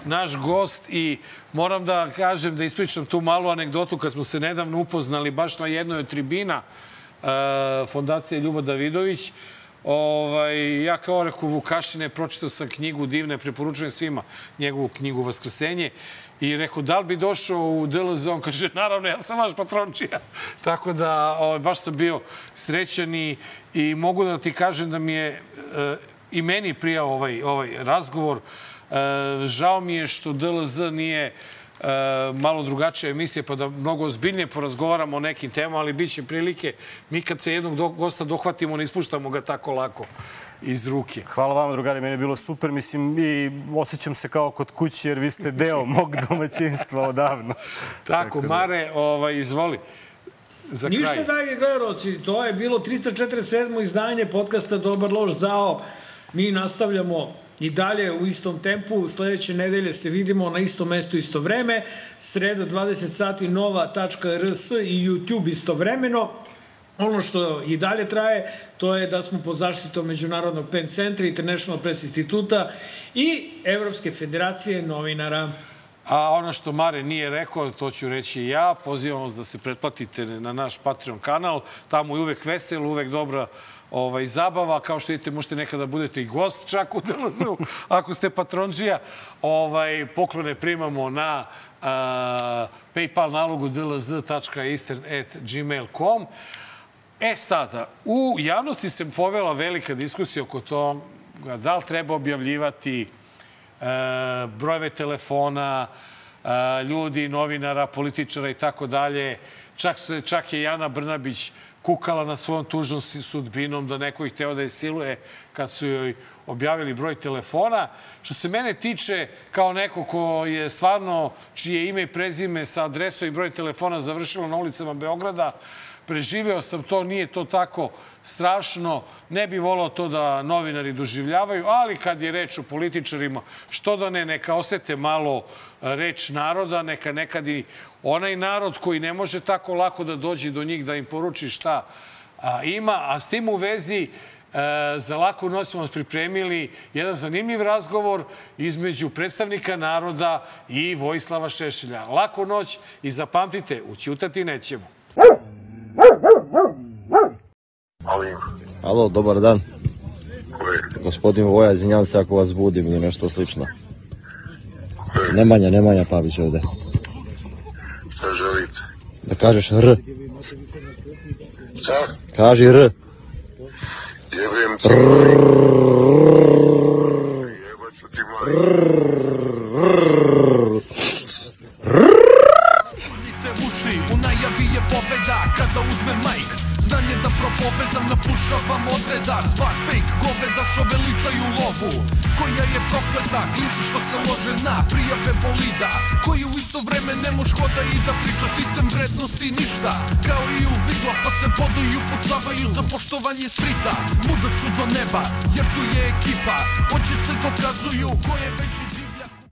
Speaker 1: naš gost i moram da kažem, da ispričam tu malu anegdotu kad smo se nedavno upoznali baš na jednoj od tribina Fondacije Ljubo Davidović. Ja kao rekao Vukašine, pročitao sam knjigu divne, preporučujem svima njegovu knjigu Vaskrsenje i rekao da li bi došao u DLZ, on kaže naravno ja sam vaš patrončija. Tako da baš sam bio srećan i mogu da ti kažem da mi je i meni prijao ovaj razgovor. Žao mi je što DLZ nije malo drugačija emisija pa da mnogo ozbiljnije porazgovaramo o nekim temama, ali bit će prilike. Mi kad se jednog gosta dohvatimo, ne ispuštamo ga tako lako iz ruke.
Speaker 18: Hvala vama, drugari, meni je bilo super. Mislim, i osjećam se kao kod kuće jer vi ste deo mog domaćinstva odavno.
Speaker 1: Tako, Mare, izvoli. Za kraj.
Speaker 2: Ništa, dragi gledalci, to je bilo 347. izdanje podcasta Dobar loš zao. Mi nastavljamo i dalje u istom tempu. Sljedeće nedelje se vidimo na istom mestu, isto vreme. Sreda 20 sati nova.rs i YouTube istovremeno. Ono što i dalje traje, to je da smo pod zaštitom Međunarodnog PEN centra, International Press instituta i Evropske federacije novinara.
Speaker 1: A ono što Mare nije rekao, to ću reći i ja. Pozivam vas da se pretplatite na naš Patreon kanal. Tamo je uvek veselo, uvek dobra zabava. Kao što vidite, možete nekada budete i gost čak u DLZ-u, ako ste patronđija. Poklone primamo na PayPal nalogu dlz.eastern@gmail.com. Sada, u javnosti se povela velika diskusija oko toga da li treba objavljivati brojeve telefona, ljudi, novinara, političara i tako dalje. Čak je Jana Brnabić kukala nad svojom tužnom sudbinom da neko ih hteo da je siluje kad su joj objavili broj telefona. Što se mene tiče, kao neko ko je stvarno, čije ime i prezime sa adresom i broj telefona završilo na ulicama Beograda, preživeo sam to, nije to tako strašno. Ne bi volao to da novinari doživljavaju, ali kad je reč o političarima, što da ne, neka osete malo reč naroda, neka nekad i onaj narod koji ne može tako lako da dođe do njih, da im poruči šta ima. A s tim u vezi, za laku noć smo vas pripremili jedan zanimljiv razgovor između predstavnika naroda i Vojislava Šešelja. Laku noć i zapamtite, ućutati nećemo.
Speaker 3: Alo, dobar dan. Gospodin Voja, izvinjam se ako vas budim ili nešto slično. Nemanja Pavić ovde.
Speaker 5: Šta želite?
Speaker 3: Da kažeš R.
Speaker 5: Šta?
Speaker 3: Kaži R.
Speaker 5: Jebem se. Jebaću ti
Speaker 23: U najavi je pobeda kada uzme majk. Znanje da propovedam, napušavam odreda. Svak fake goveda što veličaju lovu, koja je prokleta, klinci što se lože na prijave bolida, koji u isto vreme ne moš hoda i da priča. Sistem vrednosti ništa, kao i u vigla, pa se boduju, pucavaju za poštovanje strita. Muda su do neba, jer tu je ekipa, oči se dokazuju ko je veći.